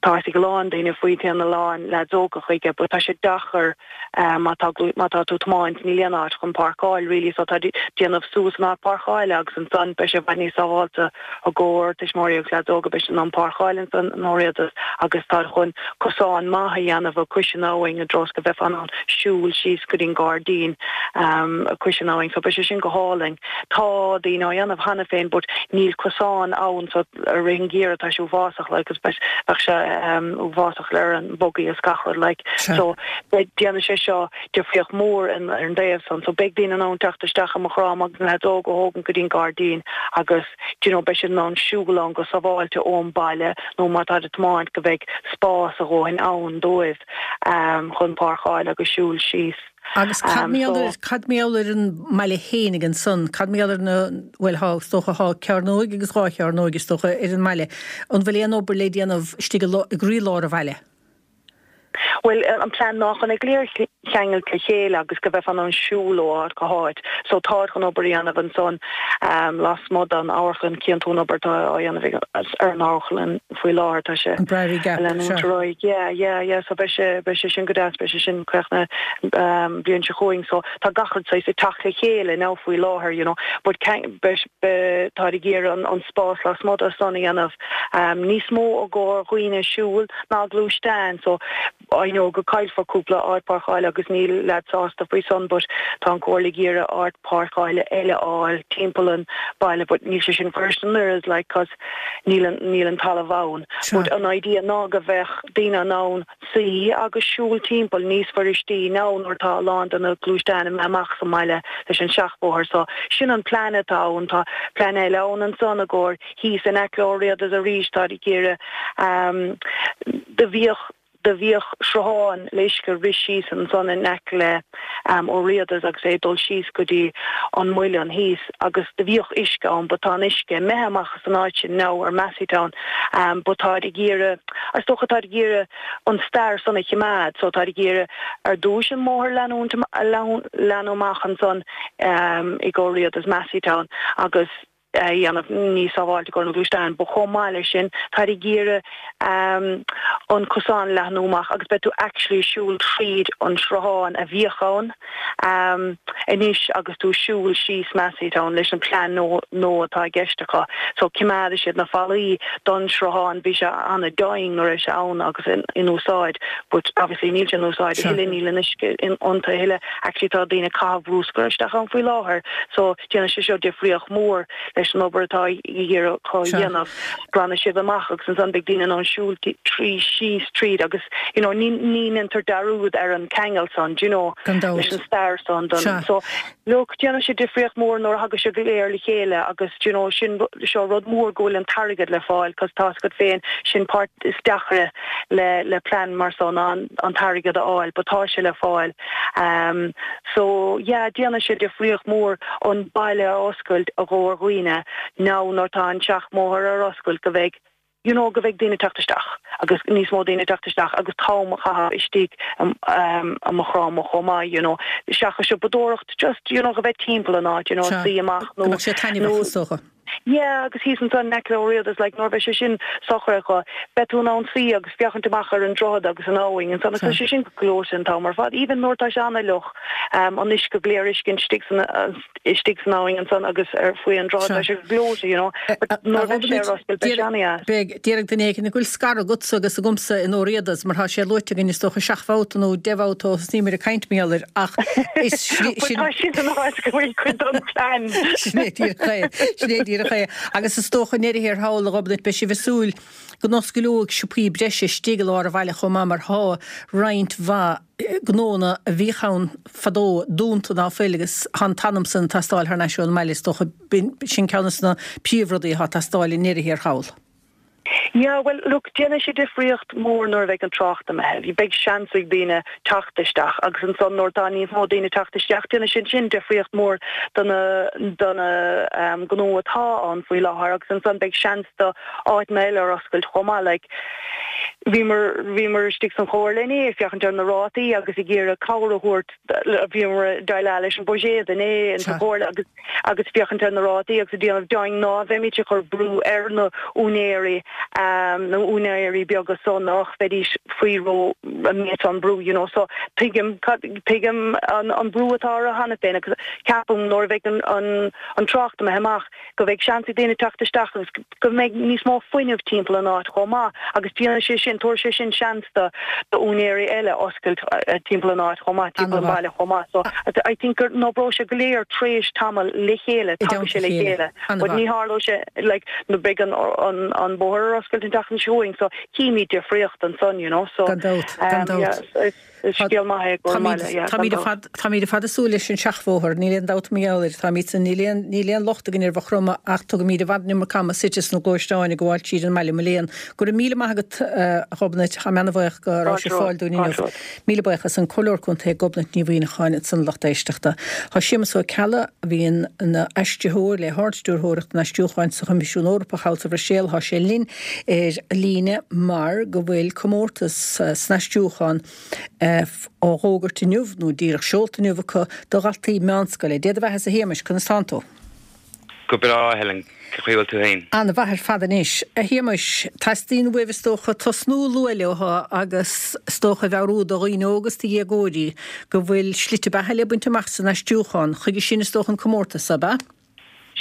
tá ag lán daoine faoi na lán le óga chuige, but tá sé deacair um, má tá má tá tú ag tiomáint níl aon áit chun páirceáil really so tá déanamh suas an áit páirceáil agus ansan beidh sé bheith níos sábháilte i gcomhair tuismitheoirí agus leaids óga beidh an páirceáil ansan in Ó Riada's agus tá chun cosán maith a dhéanamh cois an abhainn i dtreo go bheith an siúl síos go dtí an gairdín um, cois an abhainn, so beidh sé sin go hálainn. Tá daoine á dhéanamh cheana féin, but níl cosán ann so i rith an gheimhridh tá sé uafásach like, agus beidh sé um, uafásach le an boggy is gach rud like. Sea. So beidh déanfaidh sé seo difríocht mór in ar an dtaobh san, so beidh daoine in ann teacht isteach i Maigh Chromtha agus na leaids óga a thógaint go dtí an gairdín agus you know, beidh siad in ann siúl ann go sábháilte ón baile nó má tá ag tiomáint go bheidh spás a dhóthain ann dóibh um, chun páirceáil agus siúl síos. Agus cad cad mar gheall ar an mbaile fhéinig ansan, cad mar gheall ar na bhuel thá is dócha thá cearnóig agus dhá chearnóig is dócha ar an mbaile. An bhfuil aon obair le déanamh istigh i gcroílár an bhaile? Bhuel an plean ná chun é go léir a cheangailt le chéile agus go mbeifeá in ann siúl ó áit go háit. So táid chun obair a dhéanamh ansan lasmuigh den amharclann, cíonn tú an obair atá á dhéanamh ar an amharclann faoi láthair, tá sé An Briery Gap, ag leanúint ar aghaidh. Yeah, yeah, yeah, so beidh sé, beidh sé sin go deas, beidh sé sin críochnaithe bliain seo chugainn. So tá gach rud saghas ag teacht le chéile now faoi láthair, you know, but beidh, beidh, táid ag iarraidh an, an spás lasmuigh de san a dhéanamh níos mó i gcomhair dhaoine siúl ná gluaisteáin. So I know go caillfear cúpla áit páirceála agus níl leads sásta faoi san but tá an Comhairle ag iarraidh áit páirceála eile a fháil timpeall an baile but níl sé sin fuirist an oiread like cause níl an níl an talamh ann. But an idea ná go bheadh daoine in ann suí agus siúl timpeall níos fuiristí now nuair atá a lán de na gluaisteáin imithe amach sa mbaile leis an seachbhóthar so sin an plean atá ann. Tá plean eile ann ansan i gcomhair thíos in aice le Ó Riada's arís táid ag iarraidh um do bhíodh Do bhíodh sruthán le uisce ag rith síos ansan in aice le Ó Riada's agus é ag dul síos go dtí an muileann thíos agus do bhíodh uisce ann but tá an uisce imithe amach as an áit sin now ar Masseytown but táid ag iarraidh, is dócha táid ag iarraidh an stair san a chimeád so táid ag iarraidh ar dtúis an mbóthar leanúint, leathnú amach ansan i gcomhair Ó Riada's Masseytown agus. a dhéanamh níos sábháilte i gcomhair na gluaisteán. But chomh maith leis sin, táid ag iarraidh an cosán a leathnú amach agus beidh tú actually ag siúl tríd an sruthán a bhíodh ann anois agus tú ag siúl síos Masseytown leis an plean nua atá i gceist acu. So cimeádfaidh siad na fallaí don sruthán, bhí sé an-domhain nuair a bhí sé ann agus in úsáid but obviously níl sé in úsáid a thuilleadh, níl an uisce iontu a thuilleadh. Actually tá daoine ag caitheamh bruscar isteach ann faoi láthair so déanfaidh sé seo difríocht mhór leis an obair atá ag iarraidh acu a dhéanamh. Glanfaidh siad amach agus ansan beidh daoine in ann siúl trí síos tríd agus you know ní ní ndéantar dearúd ar an ceangal san do you know Gan dabht. leis an stair san don Sea. so look déanfaidh sé difríocht mhór nuair a thagas sé go léir le chéile agus do you know sin seo rud mór go bhfuil an t-airgead le fáil cos tá's agat féin sin páirt is deacra le le plean mar so ná an an t-airgead a fháil but tá sé le fáil um so yeah déanfaidh sé difríocht mhór an baile a oscailt i gcomhair dhaoine now nuair tá an seachbhóthar ar oscailt go bheidh you know go bheidh daoine ag teacht isteach agus níos mó daoine ag teacht isteach agus t-am a chaitheamh istigh i Maigh Chromtha chomh maith you know seachas siopadóireacht just you know go bheith timpeall an áit you know Sea. suí amach Go nó mbeadh sé nó taitneamhach is dócha. Yeah agus thíos ansan in aice le Ó Riada's like nuair a bheidh sé sin socraithe acu beidh tú in ann suí agus féachaint amach ar an droichead agus an abhainn ansan agus tá Sea. sé sin gleoite an t-am ar fad even nuair atá sé an-fhliuch um an uisce go léir uisce istigh san istigh san abhainn ansan agus ar faoi an droichead tá sé gleoite you know but nuair a bheidh sé ar oscailt beidh sé an-dheas. Beidh déarfaidh duine éigin an bhfuil scaradh agatsa agus agamsa in Ó Riada's mar tá sé luaite againn is dócha seacht mbabhta nó deich mbabhta ó thosnaíomar ag caint mar gheall air ach is But sin tá sin an áit go bhfuil cuid den plean. Sin é díreach é, sin é díreach é. Agus is dócha i ndeireadh thiar thall a Ghobnait beidh sibh ag súil go n-osclóidh siopaí breise istigh i lár an bhaile chomh maith mar thá roinnt mhaith gnónna a bhíodh ann fadó dúnta ná fuil agus thá an t-anam san ag teastáil thar n-ais ón mbaile is dócha sin ceann de na príomhrudaí atá ag teastáil i ndeireadh thiar thall. Yeah, well, look, déanfaidh sé difríocht mór nuair a bheidh an trácht imithe. Beidh seans ag daoine teacht isteach agus ansan nuair atá níos mó daoine teacht isteach, déanfaidh sin sin difríocht mór do na do na um, gnó atá ann faoi láthair agus ansan beidh seans do áiteanna eile ar oscailt chomh maith. Like, bhíomar bhíomar istigh san chomhairle inné ag féachaint ar na rátaí agus ag iarraidh cabhair a thabhairt bhíomar ag déileáil leis an buiséad inné in sa Sea. chomhairle agus agus féachaint ar na rátaí agus ag déanamh deimhin ná bheimid ag cur brú ar na úinéirí um, na úinéirí beaga so nach bheidís faoi ró méid an brú you know so tuigim tuigim an, an brú atá orthu cheana féin agus ceapaim nuair a bheidh an, an, an trácht imithe amach go bheidh seans ag daoine teacht isteach agus go mbeidh níos mó fuinneamh timpeall an áit chomh maith agus déanfaidh sé sin tabharfaidh sé sin seans do do úinéirí eile oscailt uh, timpeall an áit chomh maith timpeall an An-mhaith. baile chomh maith so I think gur n-oibreoidh sé go léir tréis tamall le chéile I tagann dteannta sé le chéile. chéile but An-mhaith. ní tharlóidh sé like nuair beidh an an an bóthar ar oscailt an tseachtain seo chugainn so cífimid difríocht ansan you know so Gan dabht, gan um, dabht. yeah, so it's Is scéal maith é go maith, yeah. Táimid ar fad, táimid ar fad ag súil leis an seachbhóthar, níl aon dabht mar gheall air, táimid san, níl aon, níl aon locht againn ar Mhaigh Chromtha ach tugaimid i bhfad an iomarca ama suite sna gluaisteáin ag gabháil tríd an mbaile, mo léan. Go raibh míle maith agat, a Ghobnait, tá mé ana-bhuíoch go raibh sibh ar fáil dúinn inniu. Míle buíochas, an Comhairleoir Contae Gobnait Ní Mhuimhneacháin ansan, lucht éisteachta. Tá Séamus Ó Ceallaigh, a bhíonn ina aistritheoir le hArd-Stiúrthóireacht an Aistriúcháin sa Choimisiún Eorpach thall sa Bhruiséil, tá sé linn ar líne mar go bhfuil comórtas san aistriúchán á fhógairt inniu, nó díreach seolta inniu acu, do dhaltaí meánscoile. Dé do bheatha-sa a Shéamais, conas tánn tú? Go breá, a Helen. Cén chaoi a bhfuil tú féin? An-mhaith ar fad anois. A Shéamais, teastaíonn uaibh is dócha tosnú luath leo agus is dócha a mheabhrú do dhaoine óga is do dhéagóirí go bhfuil slite beatha le baint amach san aistriúchán. Chuige sin is dócha an comórtas, ab ea?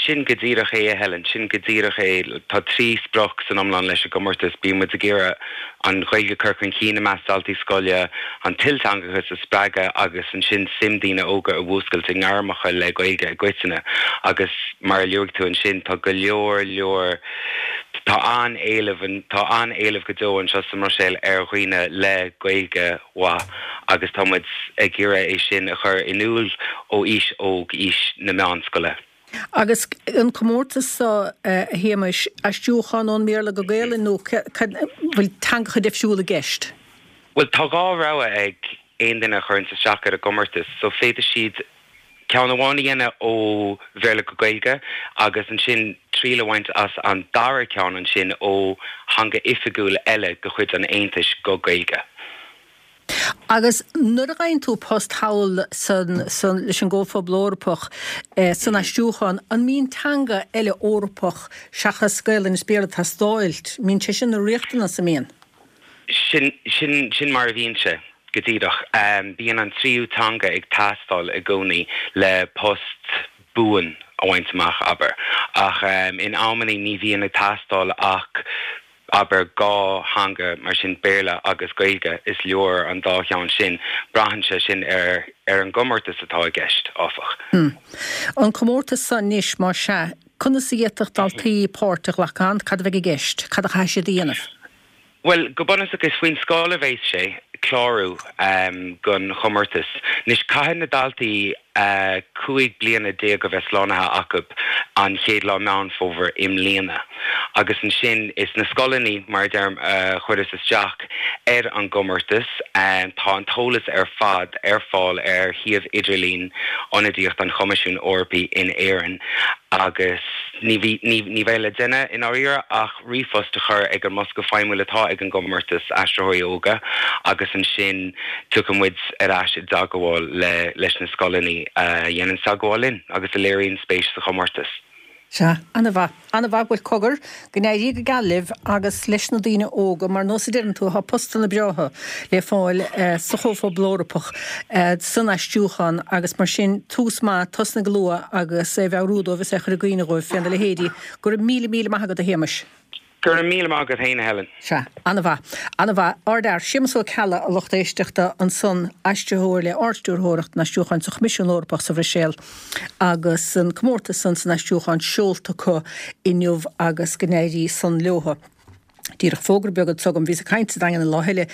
Sin go díreach é, a Helen, sin go díreach é. Tá trí sprioc san iomlán leis an gcomórtas. Bíonn muid ag iarraidh an Ghaeilge a chur chun cinn i measc daltaí scoile, an t-ilteangachas a spreagadh agus ansin suim daoine óga a mhúscailt i ngairmeacha le Gaeilge i gcoitinne. Agus mar a luaigh tú ansin, tá go leor leor, tá an-éileamh, tá an-éileamh go deo anseo sa mBruiséil ar dhaoine le Gaeilge mhaith agus tá muid ag iarraidh é sin a chur in iúl ó aois óg, aois na meánscoile. Agus an comórtas seo, a Shéamais, aistriúchán ón mBéarla go Gaelainn nó bhfuil teangacha difriúla i gceist? Bhuel, tá dhá rogha ag aon duine a chuireanns isteach ar an gcomórtas, so féadfaidh siad ceann amháin a dhéanamh ó Bhéarla go Gaeilge agus ansin triail a bhaint as an dara ceann ansin ó theanga oifigiúil eile de chuid an Aontais go Gaeilge. Agus nuair a fhaigheann tú post thall san, san, leis an gComhphobal Eorpach san aistriúchán, an mbíonn teanga eile Eorpach seachas Gaelainn is Béarla ag teastáil? Mbíonn sé sin ina riachtanas, an mbíonn? Sin, sin, sin mar a bhíonn sé, go díreach. Bíonn an tríú teanga ag teastáil i gcónaí le post buan a bhaint amach, abair. Ach in amannaí ní bhíonn ag teastáil ach abair, dhá theanga, mar sin Béarla agus Gaeilge, is leor an dá cheann sin. Braitheann sé sin ar ar an gcomórtas atá i gceist, áfach. An comórtas seo anois, más ea, conas a d'fhéadfadh daltaí páirt a ghlacadh ann? Cad a bheidh i gceist? Cad a chaithfidh siad a dhéanamh? Bhuel, go bunúsach is faoin scoil a bheas sé clárú don chomórtas. Anois, caithfidh na daltaí cúig bliana déag a bheith slánaithe acu an chéad lá Meán Fómhair i mbliana agus ansin is na scoileanna, mar a deirim, a chuireas isteach ar an gcomórtas. Tá an t-eolas ar fad ar fáil ar shuíomh idirlín Ionadaíocht an Choimisiúin Eorpaigh in Éirinn agus ní bheidh le déanamh i ndáiríre ach ríomhphost a chur ag an mbosca feidhmiúil atá ag an gcomórtas Aistritheoirí Óga agus ansin tiocfaidh muid ar ais i dteagmháil le leis na scoileanna a dhéanann teagmháil linn agus a léiríonn spéis sa chomórtas. Sea, an-mhaith. An-mhaith. Bhuel, cogar, go n-éirí go geal libh agus leis na daoine óga, mar nós a deireann tú, tá postanna breátha le fáil sa Chomhphobal Eorpach san aistriúchán agus mar sin, tús maith, tosnaigh go luath agus é a mheabhrú dóibh is é a chur i gcuimhne dhóibh féna leithéidí. Go raibh míle, míle maith agat, a Shéamais. Go raibh míle maith agat féin, a Helen. Sea, an-mhaith. An-mhaith. Ardfhear. Séamus Ó Ceallaigh, a lucht éisteachta, ansan, aistritheoir le Ard-Stiúrthóireacht an Aistriúcháin sa Choimisiún Eorpach sa Bhruiséil agus an comórtas san san aistriúchán seolta acu inniu agus go n-éirí san leothu. Díreach fógra beag anseo agam. Bhíos ag caint sa Daingean an lá eile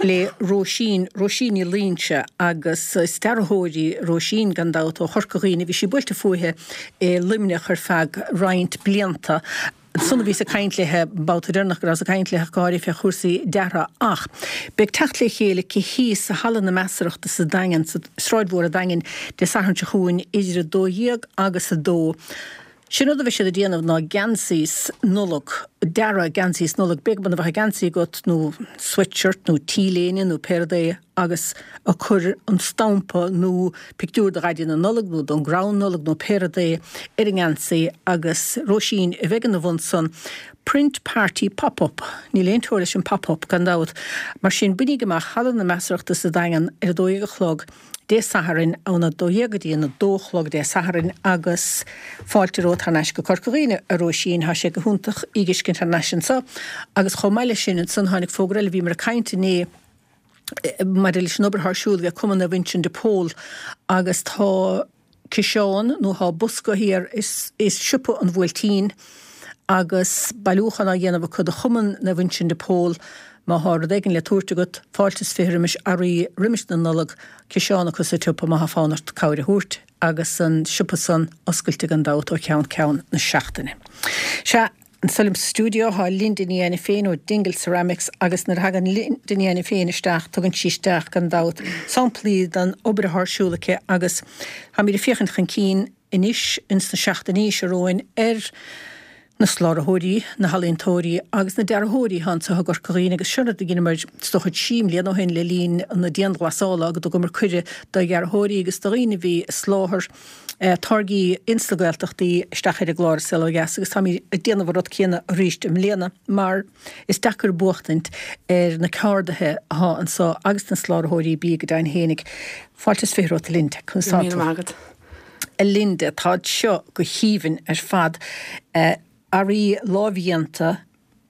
le Róisín, Róisín Ní Loingsigh, agus is dearthóir í Róisín gan dabht ó Chorca Dhuibhne. Bhí sí buailte fúithi i Luimneach ar feadh roinnt blianta. Ansan a bhíos ag caint léithe, an babhta deireanach go rabhas ag caint léithe ach go háirithe fé chúrsaí deartha. Ach beidh teacht le chéile aici thíos i Halla na Measarachta sa Daingean, sa Sráid Mhór a' Daingin, Dé Sathairn seo chugainn idir a dó dhéag agus a dó. Sin rud a bheidh siad ag déanamh ná geansaí Nollag, dearadh geansaí Nollag, pé mar a bheadh geansaí agat nó sweatshirt nó T-léine nó pé rud é agus ag cur an stampa nó pictiúr de Dhaidí na Nollag nó don gcrann Nollag nó pé rud é ar an ngeansaí agus Róisín a bheidh ina bhun san. Print Party Pop Up. Níl aon teora leis an Pop Up gan dabht. Mar sin bainíg amach Halla na Measarachta sa Daingean ar a dó dhéag a chlog Dé Sathairn, óna dó dhéag go dtí an a dó a chlog Dé Sathairn agus fáilte romhat thar n-ais go Corca Dhuibhne, a Róisín, tá sé go hiontach í dh'fheiscint thar n-ais anso. Agus chomh maith leis sin ansan tháinig fógra eile, bhíomar ag caint inné maidir leis an obair atá ar siúl ag Cumann Naomh Uinseann de Pól agus tá ciseán nó tá bosca thiar i Siopa an Bhuailtín agus bailiúchán á dhéanamh acu do Chumann Naomh Uinseann de Pól. Má thá rud éigin le tabhairt agat, fáilte is fiche roimis earraí roimis na Nollag, ciseán acu sa tsiopa má thá fonn ort cabhair a thabhairt, agus an siopa san oscailte gan dabht ó cheann ceann na seachtaine. Sea, anso liom sa stiúideo thá Linda Ní Ainiféin ó Dingle Ceramics agus nuair a thagann Linda Ní Ainiféin isteach tugann sí isteach gan dabht samplaí den obair athá ar siúl aici agus táimid ag féachaint chun cinn anois ins na seachtainí seo romhainn ar na sláraitheoirí, na healaíontóirí agus na dearthóirí atá anso i gCorca Dhuibhne agus seo rud a dheineamar is dócha trí mbliana ó shin le linn na dianghlasála go dtugamar cuireadh do dhearthóirí agus do dhaoine a bhí ag soláthar táirgí ins na Gaeltachtaí isteach ar an gclár Saol Ó Dheas agus táimid ag déanamh an rud céanna arís i mbliana mar is deacair buachtaint ar na ceardaithe athá anso agus na sláraitheoirí bídh go deimhin fhéinig. Fáilte is fiche romhat a Linda. Conas tá tú? Míle maith agat. A Linda, táid seo go haoibhinn ar fad. Earraí lámhdhéanta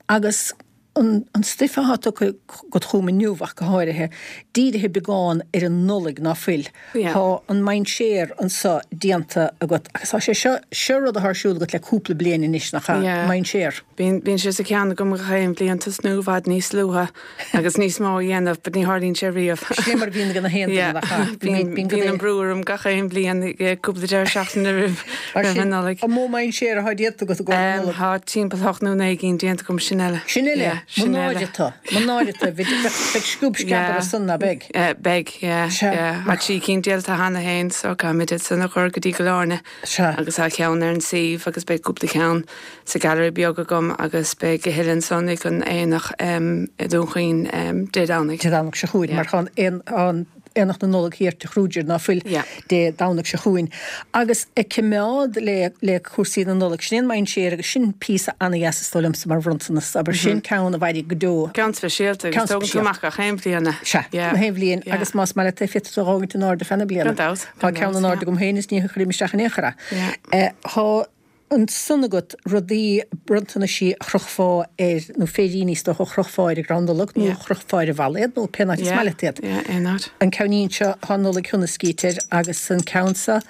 agus an an stuif athá tugtha agat chugam inniu ach go háirithe, dírithe beagán ar an Nollaig, ná fuil? Yeah. Tá an mainséar anso déanta agat agus tá sé seo, seo rud athá ar siúl agat le cúpla bliain anois, nach ea? Yeah. Mainséar. Bíonn, bíonn sé sa cheann agam gach aon bhliain tosnú i bhfad níos luaithe agus níos mó a dhéanamh but ní tharlaíonn sé riamh. Sin é mar a bhíonn ag na haon duine, Yeah. nach ea? Bíonn, Bíonn, bíonn bíonn an brú orm gach aon bhliain, cúpla deireadh seachtaine roimh, Mar roimh sin, an Nollaig. An mó mainséar athá déanta agat i gcomhair na Um, Nollag? Tá timpeall hocht nó naoi gcinn déanta agam, sin eile. Sin eile? Yeah, Mo sin náire eile. tu, mo náire tu, bheadh bheadh scuab sceamh Yeah. ar son ná beidh? Eh, beidh, yeah, Sea. yeah. Tá trí cinn déanta cheana féin, so caithfimid iad san a chur go dtí Cill Airne. Sea. Agus tá ceann ar an suíomh agus beidh cúpla ceann sa gallery beag agam agus beidh a thuilleadh ansan ag an aonach um, i Dún Chaoin um, Dé Domhnaigh. Dé Domhnaigh seo chugainn, Yeah. mar tá an an Aonach na Nollag thiar Tigh Kruger ná fuil Yeah. Dé Domhnaigh seo chugainn. Agus ag coimeád le le cúrsaí na Nollag, sin é an mainséar agus sin píosa an-dheas is dóigh liomsa mar bhronntanas, abair sin ceann a mhairfidh go deo. Ceann speisialta Ceann agus tógann tú speisialta. amach gach aon bhliain é. Sea, Yeah. na haon bhliain Yeah. agus más maith leat é féadfaidh tú a dh'fhágaint in airde feadh na bliana. Gan dabht, Tá gan ceann in dabht, airde yeah. agam féin is ní chuirim isteach in aon chor é. Yeah. Eh, Tá ansan agat rudaí bronntanaisí a chrochfá ar nó féiríní is dócha a chrochfá ar an gcrann Nollag nó a chrochfá ar an bhalla iad nó pé áit is maith leat iad. Yeah, aon áit. An ceannín seo tá Nollaig Shona scríte air agus an ceann seo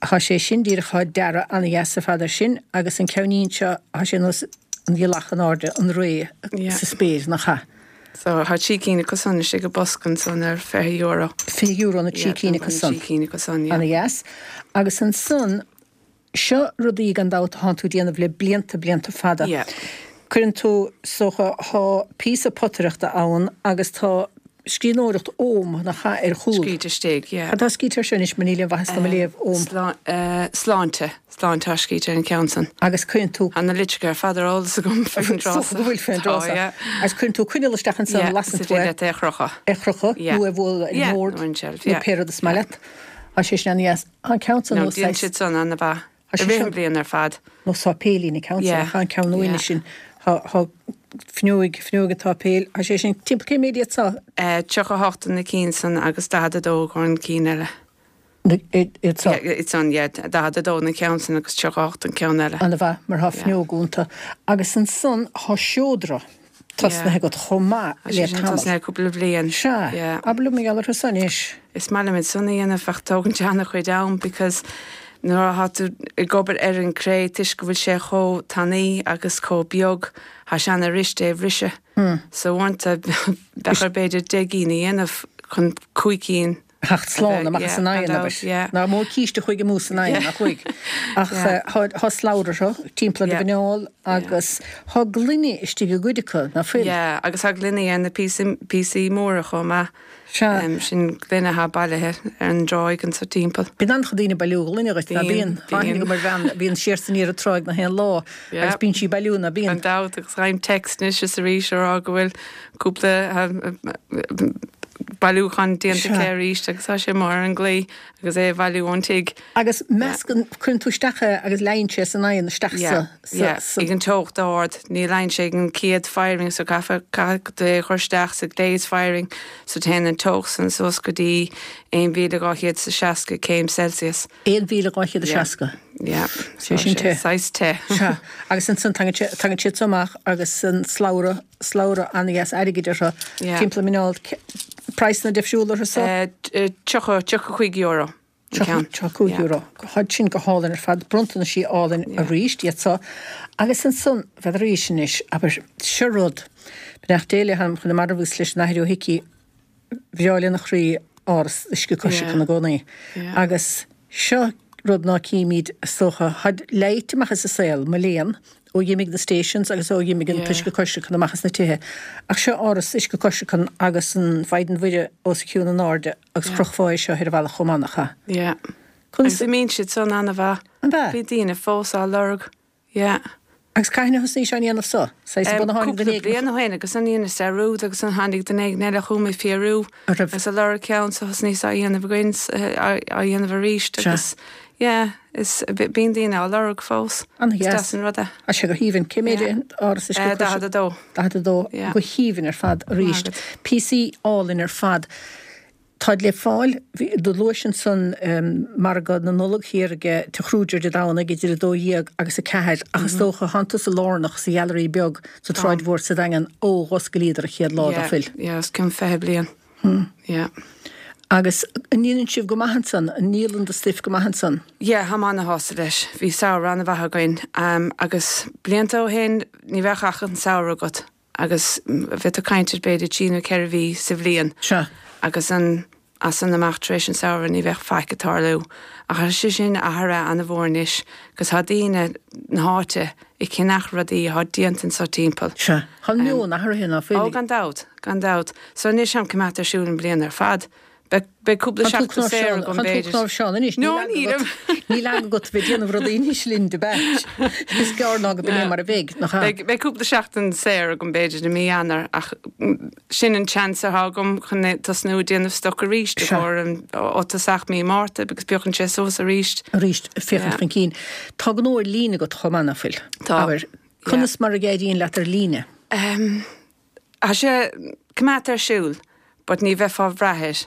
tá sé sin díreach tá dearadh an-dheas ar fad air sin agus an ceannín seo tá sé nós an ghealach in airde an ré sa spéir nach ea? So tá trí cinn acu san istigh i bosca ansan ar fiche euro. Fiche euro na trí cinn acu san. Trí cinn acu san, yeah. An-dheas. Agus ansan Seo rudaí gan dabht atánn tú ag déanamh le blianta, blianta fada. Yeah. Cuireann tú, is dócha, thá píosa potaireachta ann agus tá scríbhneoireacht Ogham, nach ea, ar chúl. Scríte istigh, yeah. Cad tá scríte air seo anois mar níl aon mhaitheas dom a léamh Ogham. Slá, sláinte, sláinte atá scríte ar an ceann san. Agus cuireann tú. Tá na litreacha ar fad ar eolas agam faoin dtráth Is dócha go bhfuil faoin dtráth Tá, yeah. Agus cuireann tú coinneal isteach ansan, Yeah, lasann is tú é. féidir leat é a chrochadh. É a chrochadh, Yeah. nó é a bhualadh ar an Yeah, mbord, nó ar an tseilf, nó yeah. pé rud is maith leat. Tá sé sin an-dheas. Tá an ceann san No, nó déanann saghas. siad san an-mhaith. Tá I sé rith seo an bhliain ar fad. Nó sáipéilín an ceann san, Yeah. ach an ceann uaine Yeah. sin, tá tá fuinneoig, fuinneoig an tsáipéil. Tá sé sin timpeall cé méid iad seo? Eh, tríocha a hocht na cinn san agus daichead a dó an cinn eile. Na, iad iad seo? Yeah, iad san, yeah, daichead a dó na ceann san agus tríocha a hocht an ceann eile. An-mhaith, mar tá Yeah. fuinneog iontu. Agus ansan tá seodra. Tosnaithe agat chomh maith le tamall. Tosnaithe cúpla bliain. Sea, abair liom mar gheall orthu san anois. Is maith liom iad san a dhéanamh ach tógann sé an-chuid am because nuair atá tú ag obair ar an cré toisc go bhfuil sé chomh tanaí agus chomh beag tá sé an-fhuirist é a bhriseadh. So uaireanta bheadh ort b'fhéidir deich gcinn a dhéanamh chun cúig cinn Theacht slán amach as an oigheann, abair. Nach mó císte a chuaigh amú san oigheann, nach chuaigh. Ach thá slabhra orthu, timpeall ar do mhuineál agus thá gloine istigh i gcuid acu, ná fuil? Yeah, agus thá gloine ar na píosaí móra chomh maith. Sea. Sin gloine athá bailithe ar an dtráigh anso timpeall. Bíonn an-chuid daoine ag bailiú gloine dhuit, ná bíonn? Tá aithne agam ar bhean a bhíonn siar is aniar an tráigh na haon lá agus bíonn sí ag bailiú, ná bíonn? Gan dabht, agus faighim text anois is arís a rá go bhfuil cúpla bailiúchán déanta aici arís agus tá sé amuigh ar an gclaí agus é a bhailiú ón tigh. Agus meascann, cuireann tú isteach é agus leáonn sé san oigheann isteach sa, sa, sa. Ag an teocht ard, ní leáonn sé ag an chéad firing so caithfidh, caithfidh tú é a chur isteach sa glaze firing so téann an teocht san suas go dtí aon mhíle dhá chéad is a seasca céim Celsius. Aon mhíle dhá chéad is seasca? Yeah. Sé sin te. Saghas te. Sea. Agus ansan tagann sé, tagann siad so amach agus an slabhra, slabhra an-dheas airgid orthu. Yeah. Timpeall muineál, praghsanna difriúla orthu so? Tríocha, tríocha cúig euro. Tríocha cúig euro. Tá sin go hálainn ar fad, bronntanaisí álainn arís iad so. Agus ansan, bhead arís anois, abair, seo rud, beannacht Dé le hanam chun na marbh agus leis an Athair Ó hIcí, bhreá lena chroí áras uisce coisricthe ina gcónaí. Agus seo rud ná címid is dócha, tháid leáite amach as an saol, mo léan, ó dh'imigh na stations agus ó dh'imigh an t-uisce coisricthe amach as na tithe. Ach seo áras uisce coisricthe agus an Mhaighdean Mhuire os a chionn in airde agus chrochfá é seo ar an bhealach chomh maith, nach ea? Yeah. Agus imíonn siad san an-mhaith. An ea? Bíonn daoine fós á lorg. Yeah. Agus cathain a thosnaís á ndéanamh so? Saghas bun a tháinig duine éigin. Cúpla bliain ó shin agus an dheineas dearúd agus an tháinig duine éigin eile chugam ag fiafraí agus ag lorg ceann so thosnaíos á dhéanamh againn á dhéanamh arís agus yeah is bíonn daoine á lorg fós. An-dheas. Is deas an rud é. Tá sé go haoibhinn. Cé méid é an áras uisce coisricthe? Daichead a dó. Daichead a dó. Go haoibhinn ar fad arís. Píosaí álainn ar fad. Táid le fáil, do luais ansan margadh na Nollag thiar ag Tigh Kruger Dé Domhnaigh idir a dó dhéag agus a ceathair ach is dócha thánn tusa lárnach sa Gheallery Beag sa tSráid Mhór sa Daingean ó dh'oscailíodar an chéad lá, ná fuil? Yeah, os cionn fiche bliain. Yeah. Agus an ndéanann sibh go maith ansan? An ndíolann do stuif go maith ansan? Yeah, táim ana-shásta leis. Bhí samhradh ana-mhaith againn agus blianta ó shin ní bheadh ach an samhradh agat. agus bheadh tú ag caint ar b'fhéidir trí nó ceithre mhí sa bhliain. Sea. Agus an, as san amach tar éis an samhradh ní bheadh faic ag tarlú. Ach tá sé sin athraithe an-mhór anois agus tá daoine na háite ag ceannach rudaí atá déanta anso timpeall. Sea. Tá an meon athraithe ná fuil? Ó gan dabht, gan dabht. So anois táim coimeádta ar siúl an bliain ar fad. Beidh cúpla seachtain saor agam b'fhéidir. Tá tú cnáimhseán anois. No, nílim. Níl eagla agat bheith ag déanamh rudaí anois linn de bheith. Is gearr ná go b'in é mar a bheidh, nach ea? Beidh cúpla seachtain saor agam b'fhéidir i mí Eanáir ach sin an chance atá agam chun tosnú ag déanamh stoc arís i gcomhair ó tosach mí Márta agus piocann sé suas arís. Arís, féachaint chun cinn. Tá gnó ar líne agat chomh maith, ná fuil? Tá. Abair, conas mar a éiríonn leat ar líne? Tá sé coimeádta ar siúl. But ní bheifeá ag brath air.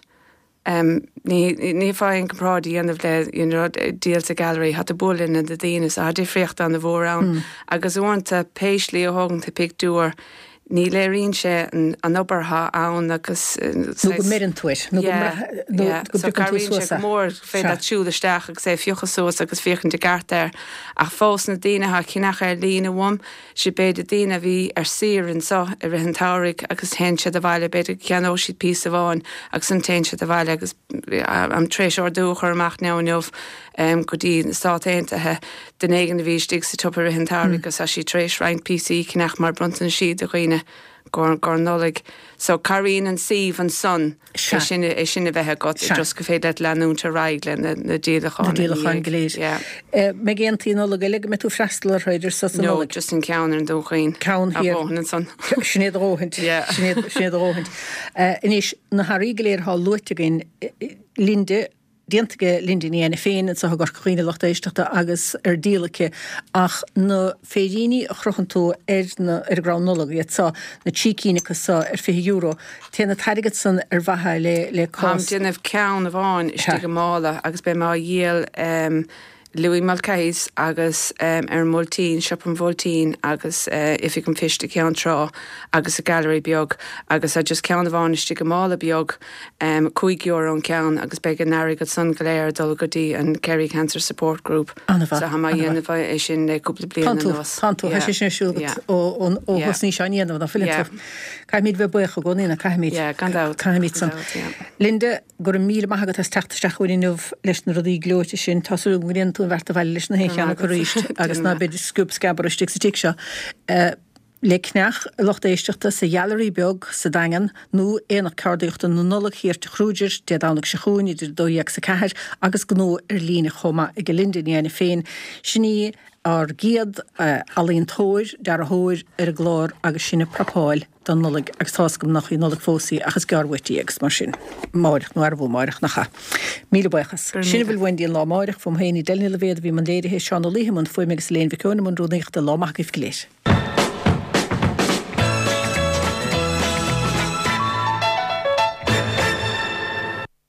Ní bheifeá aon comparáid a dhéanamh le you know díol sa gallery, tá tú ag bualadh le na daoine so tá difríocht an-mhór ann. Agus uaireanta pé slí a thógann tú pictiúr ní léiríonn sé an obair atá ann agus Nó go mbeireann tú air, nó go nó go So bpiocann tú cabhraíonn sé suas é. go mór féidir leat siúl isteach agus é a phiocadh suas agus féachaint i gceart air. Ach fós na daoine atá ag ceannach ar líne uaim, siad b'fhéidir daoine a bhí ar saoire anseo i rith an tsamhraidh agus téann siad abhaile, b'fhéidir go gceannóidh siad píosa amháin agus ansan téann siad abhaile agus táim tar éis ordú a chur amach now inniu go dtí na Stáit Aontaithe duine éigin a bhí istigh sa tsiopa i rith an tsamhraidh agus tá sí tar éis roinnt píosaí a cheannach mar bronntanaisí do dhaoine. i gcomhair Nollaig. So cabhraíonn an suíomh ansan é sin é sin a bheith agat just go féidir leat leanúint ar aghaidh le na na díolacháin Na díolacháin go léir. Yeah. Mbeidh aontaí Nollag eile go mbeidh tú freastal orthu idir sos na No, Nollag? just an ceann ar an Dún Chaoin. Ceann A thiar. dhóthain ansan. Sin é do dhóthaint. Yeah. Sin é sin é do dhóthaint. Anois, na hearraí go léir atá luaite againn, Linda, déanta ag Linda Ní Éanna féin anseo i gCorca Dhuibhne a lucht éisteachta agus ar díol aici ach na féiríní a chrochann tú ar na ar an gcrann Nollag iad seo, na trí cinn acu seo ar fiche euro, téann an t-airgead san ar mhaithe le le Táim cás. déanamh ceann amháin istigh i mála agus beidh mé á dhíol Louis Mulcahy's agus ar an mBuailtín, Siopa an Bhuailtín agus Oifig an Phoist i gCeann Trá agus sa Gallery beag agus tá just ceann amháin istigh i mála beag, cúig euro an ceann agus beidh an airgead san go léir ag dul go dtí an Kerry Cancer Support Group. An-mhaith, So tá mé á dhéanamh é sin le cúpla bliain Tánn tú, anuas. tánn tú, tá sé sin ar siúl agat ó ó thosnaís á ndéanamh, ná fuileann tú? Caithfimid bheith buíoch i gcónaí, ná caithfimid? Yeah, gan dabht. Caithfimid san. Gan dabht, yeah. Linda, Go raibh míle maith agat as teacht isteach chugainn inniu leis na rudaí gleoite sin. Tá súil agam go ndéanfaidh tú an bheart abhaile leis na haon cheann acu arís agus ná beidh scuab scabar istigh sa tigh seo. Le ceannach, a lucht éisteachta, sa Gheallery Beag sa Daingean nó Aonach Ceardaíochta na Nollag thiar Tigh Kruger Dé Domhnaigh seo chugainn idir a dó dhéag 's a ceathair agus gnó ar líne chomh maith ag Linda Ní Éanna féin. Sin í ár gcéad ealaíontóir, dearthóir ar an gclár agus sinn ag prapáil don Nollaig agus tá's agam nach í an Nollaig fós í ach is gearr uait í agus mar sin, amáireach nó arbú amáireach, nach ea? Míle buíochas. Sin a bhfuil uainn go dtí an lá amáireach, fúm féin Edel Ní Loibhéad a bhí i mbun léirithe, Seán Ó Laoithe i mbun fuaime agus Elaine Mhic Eoin i mbun rúnaíochta. Lá maith agaibh go léir.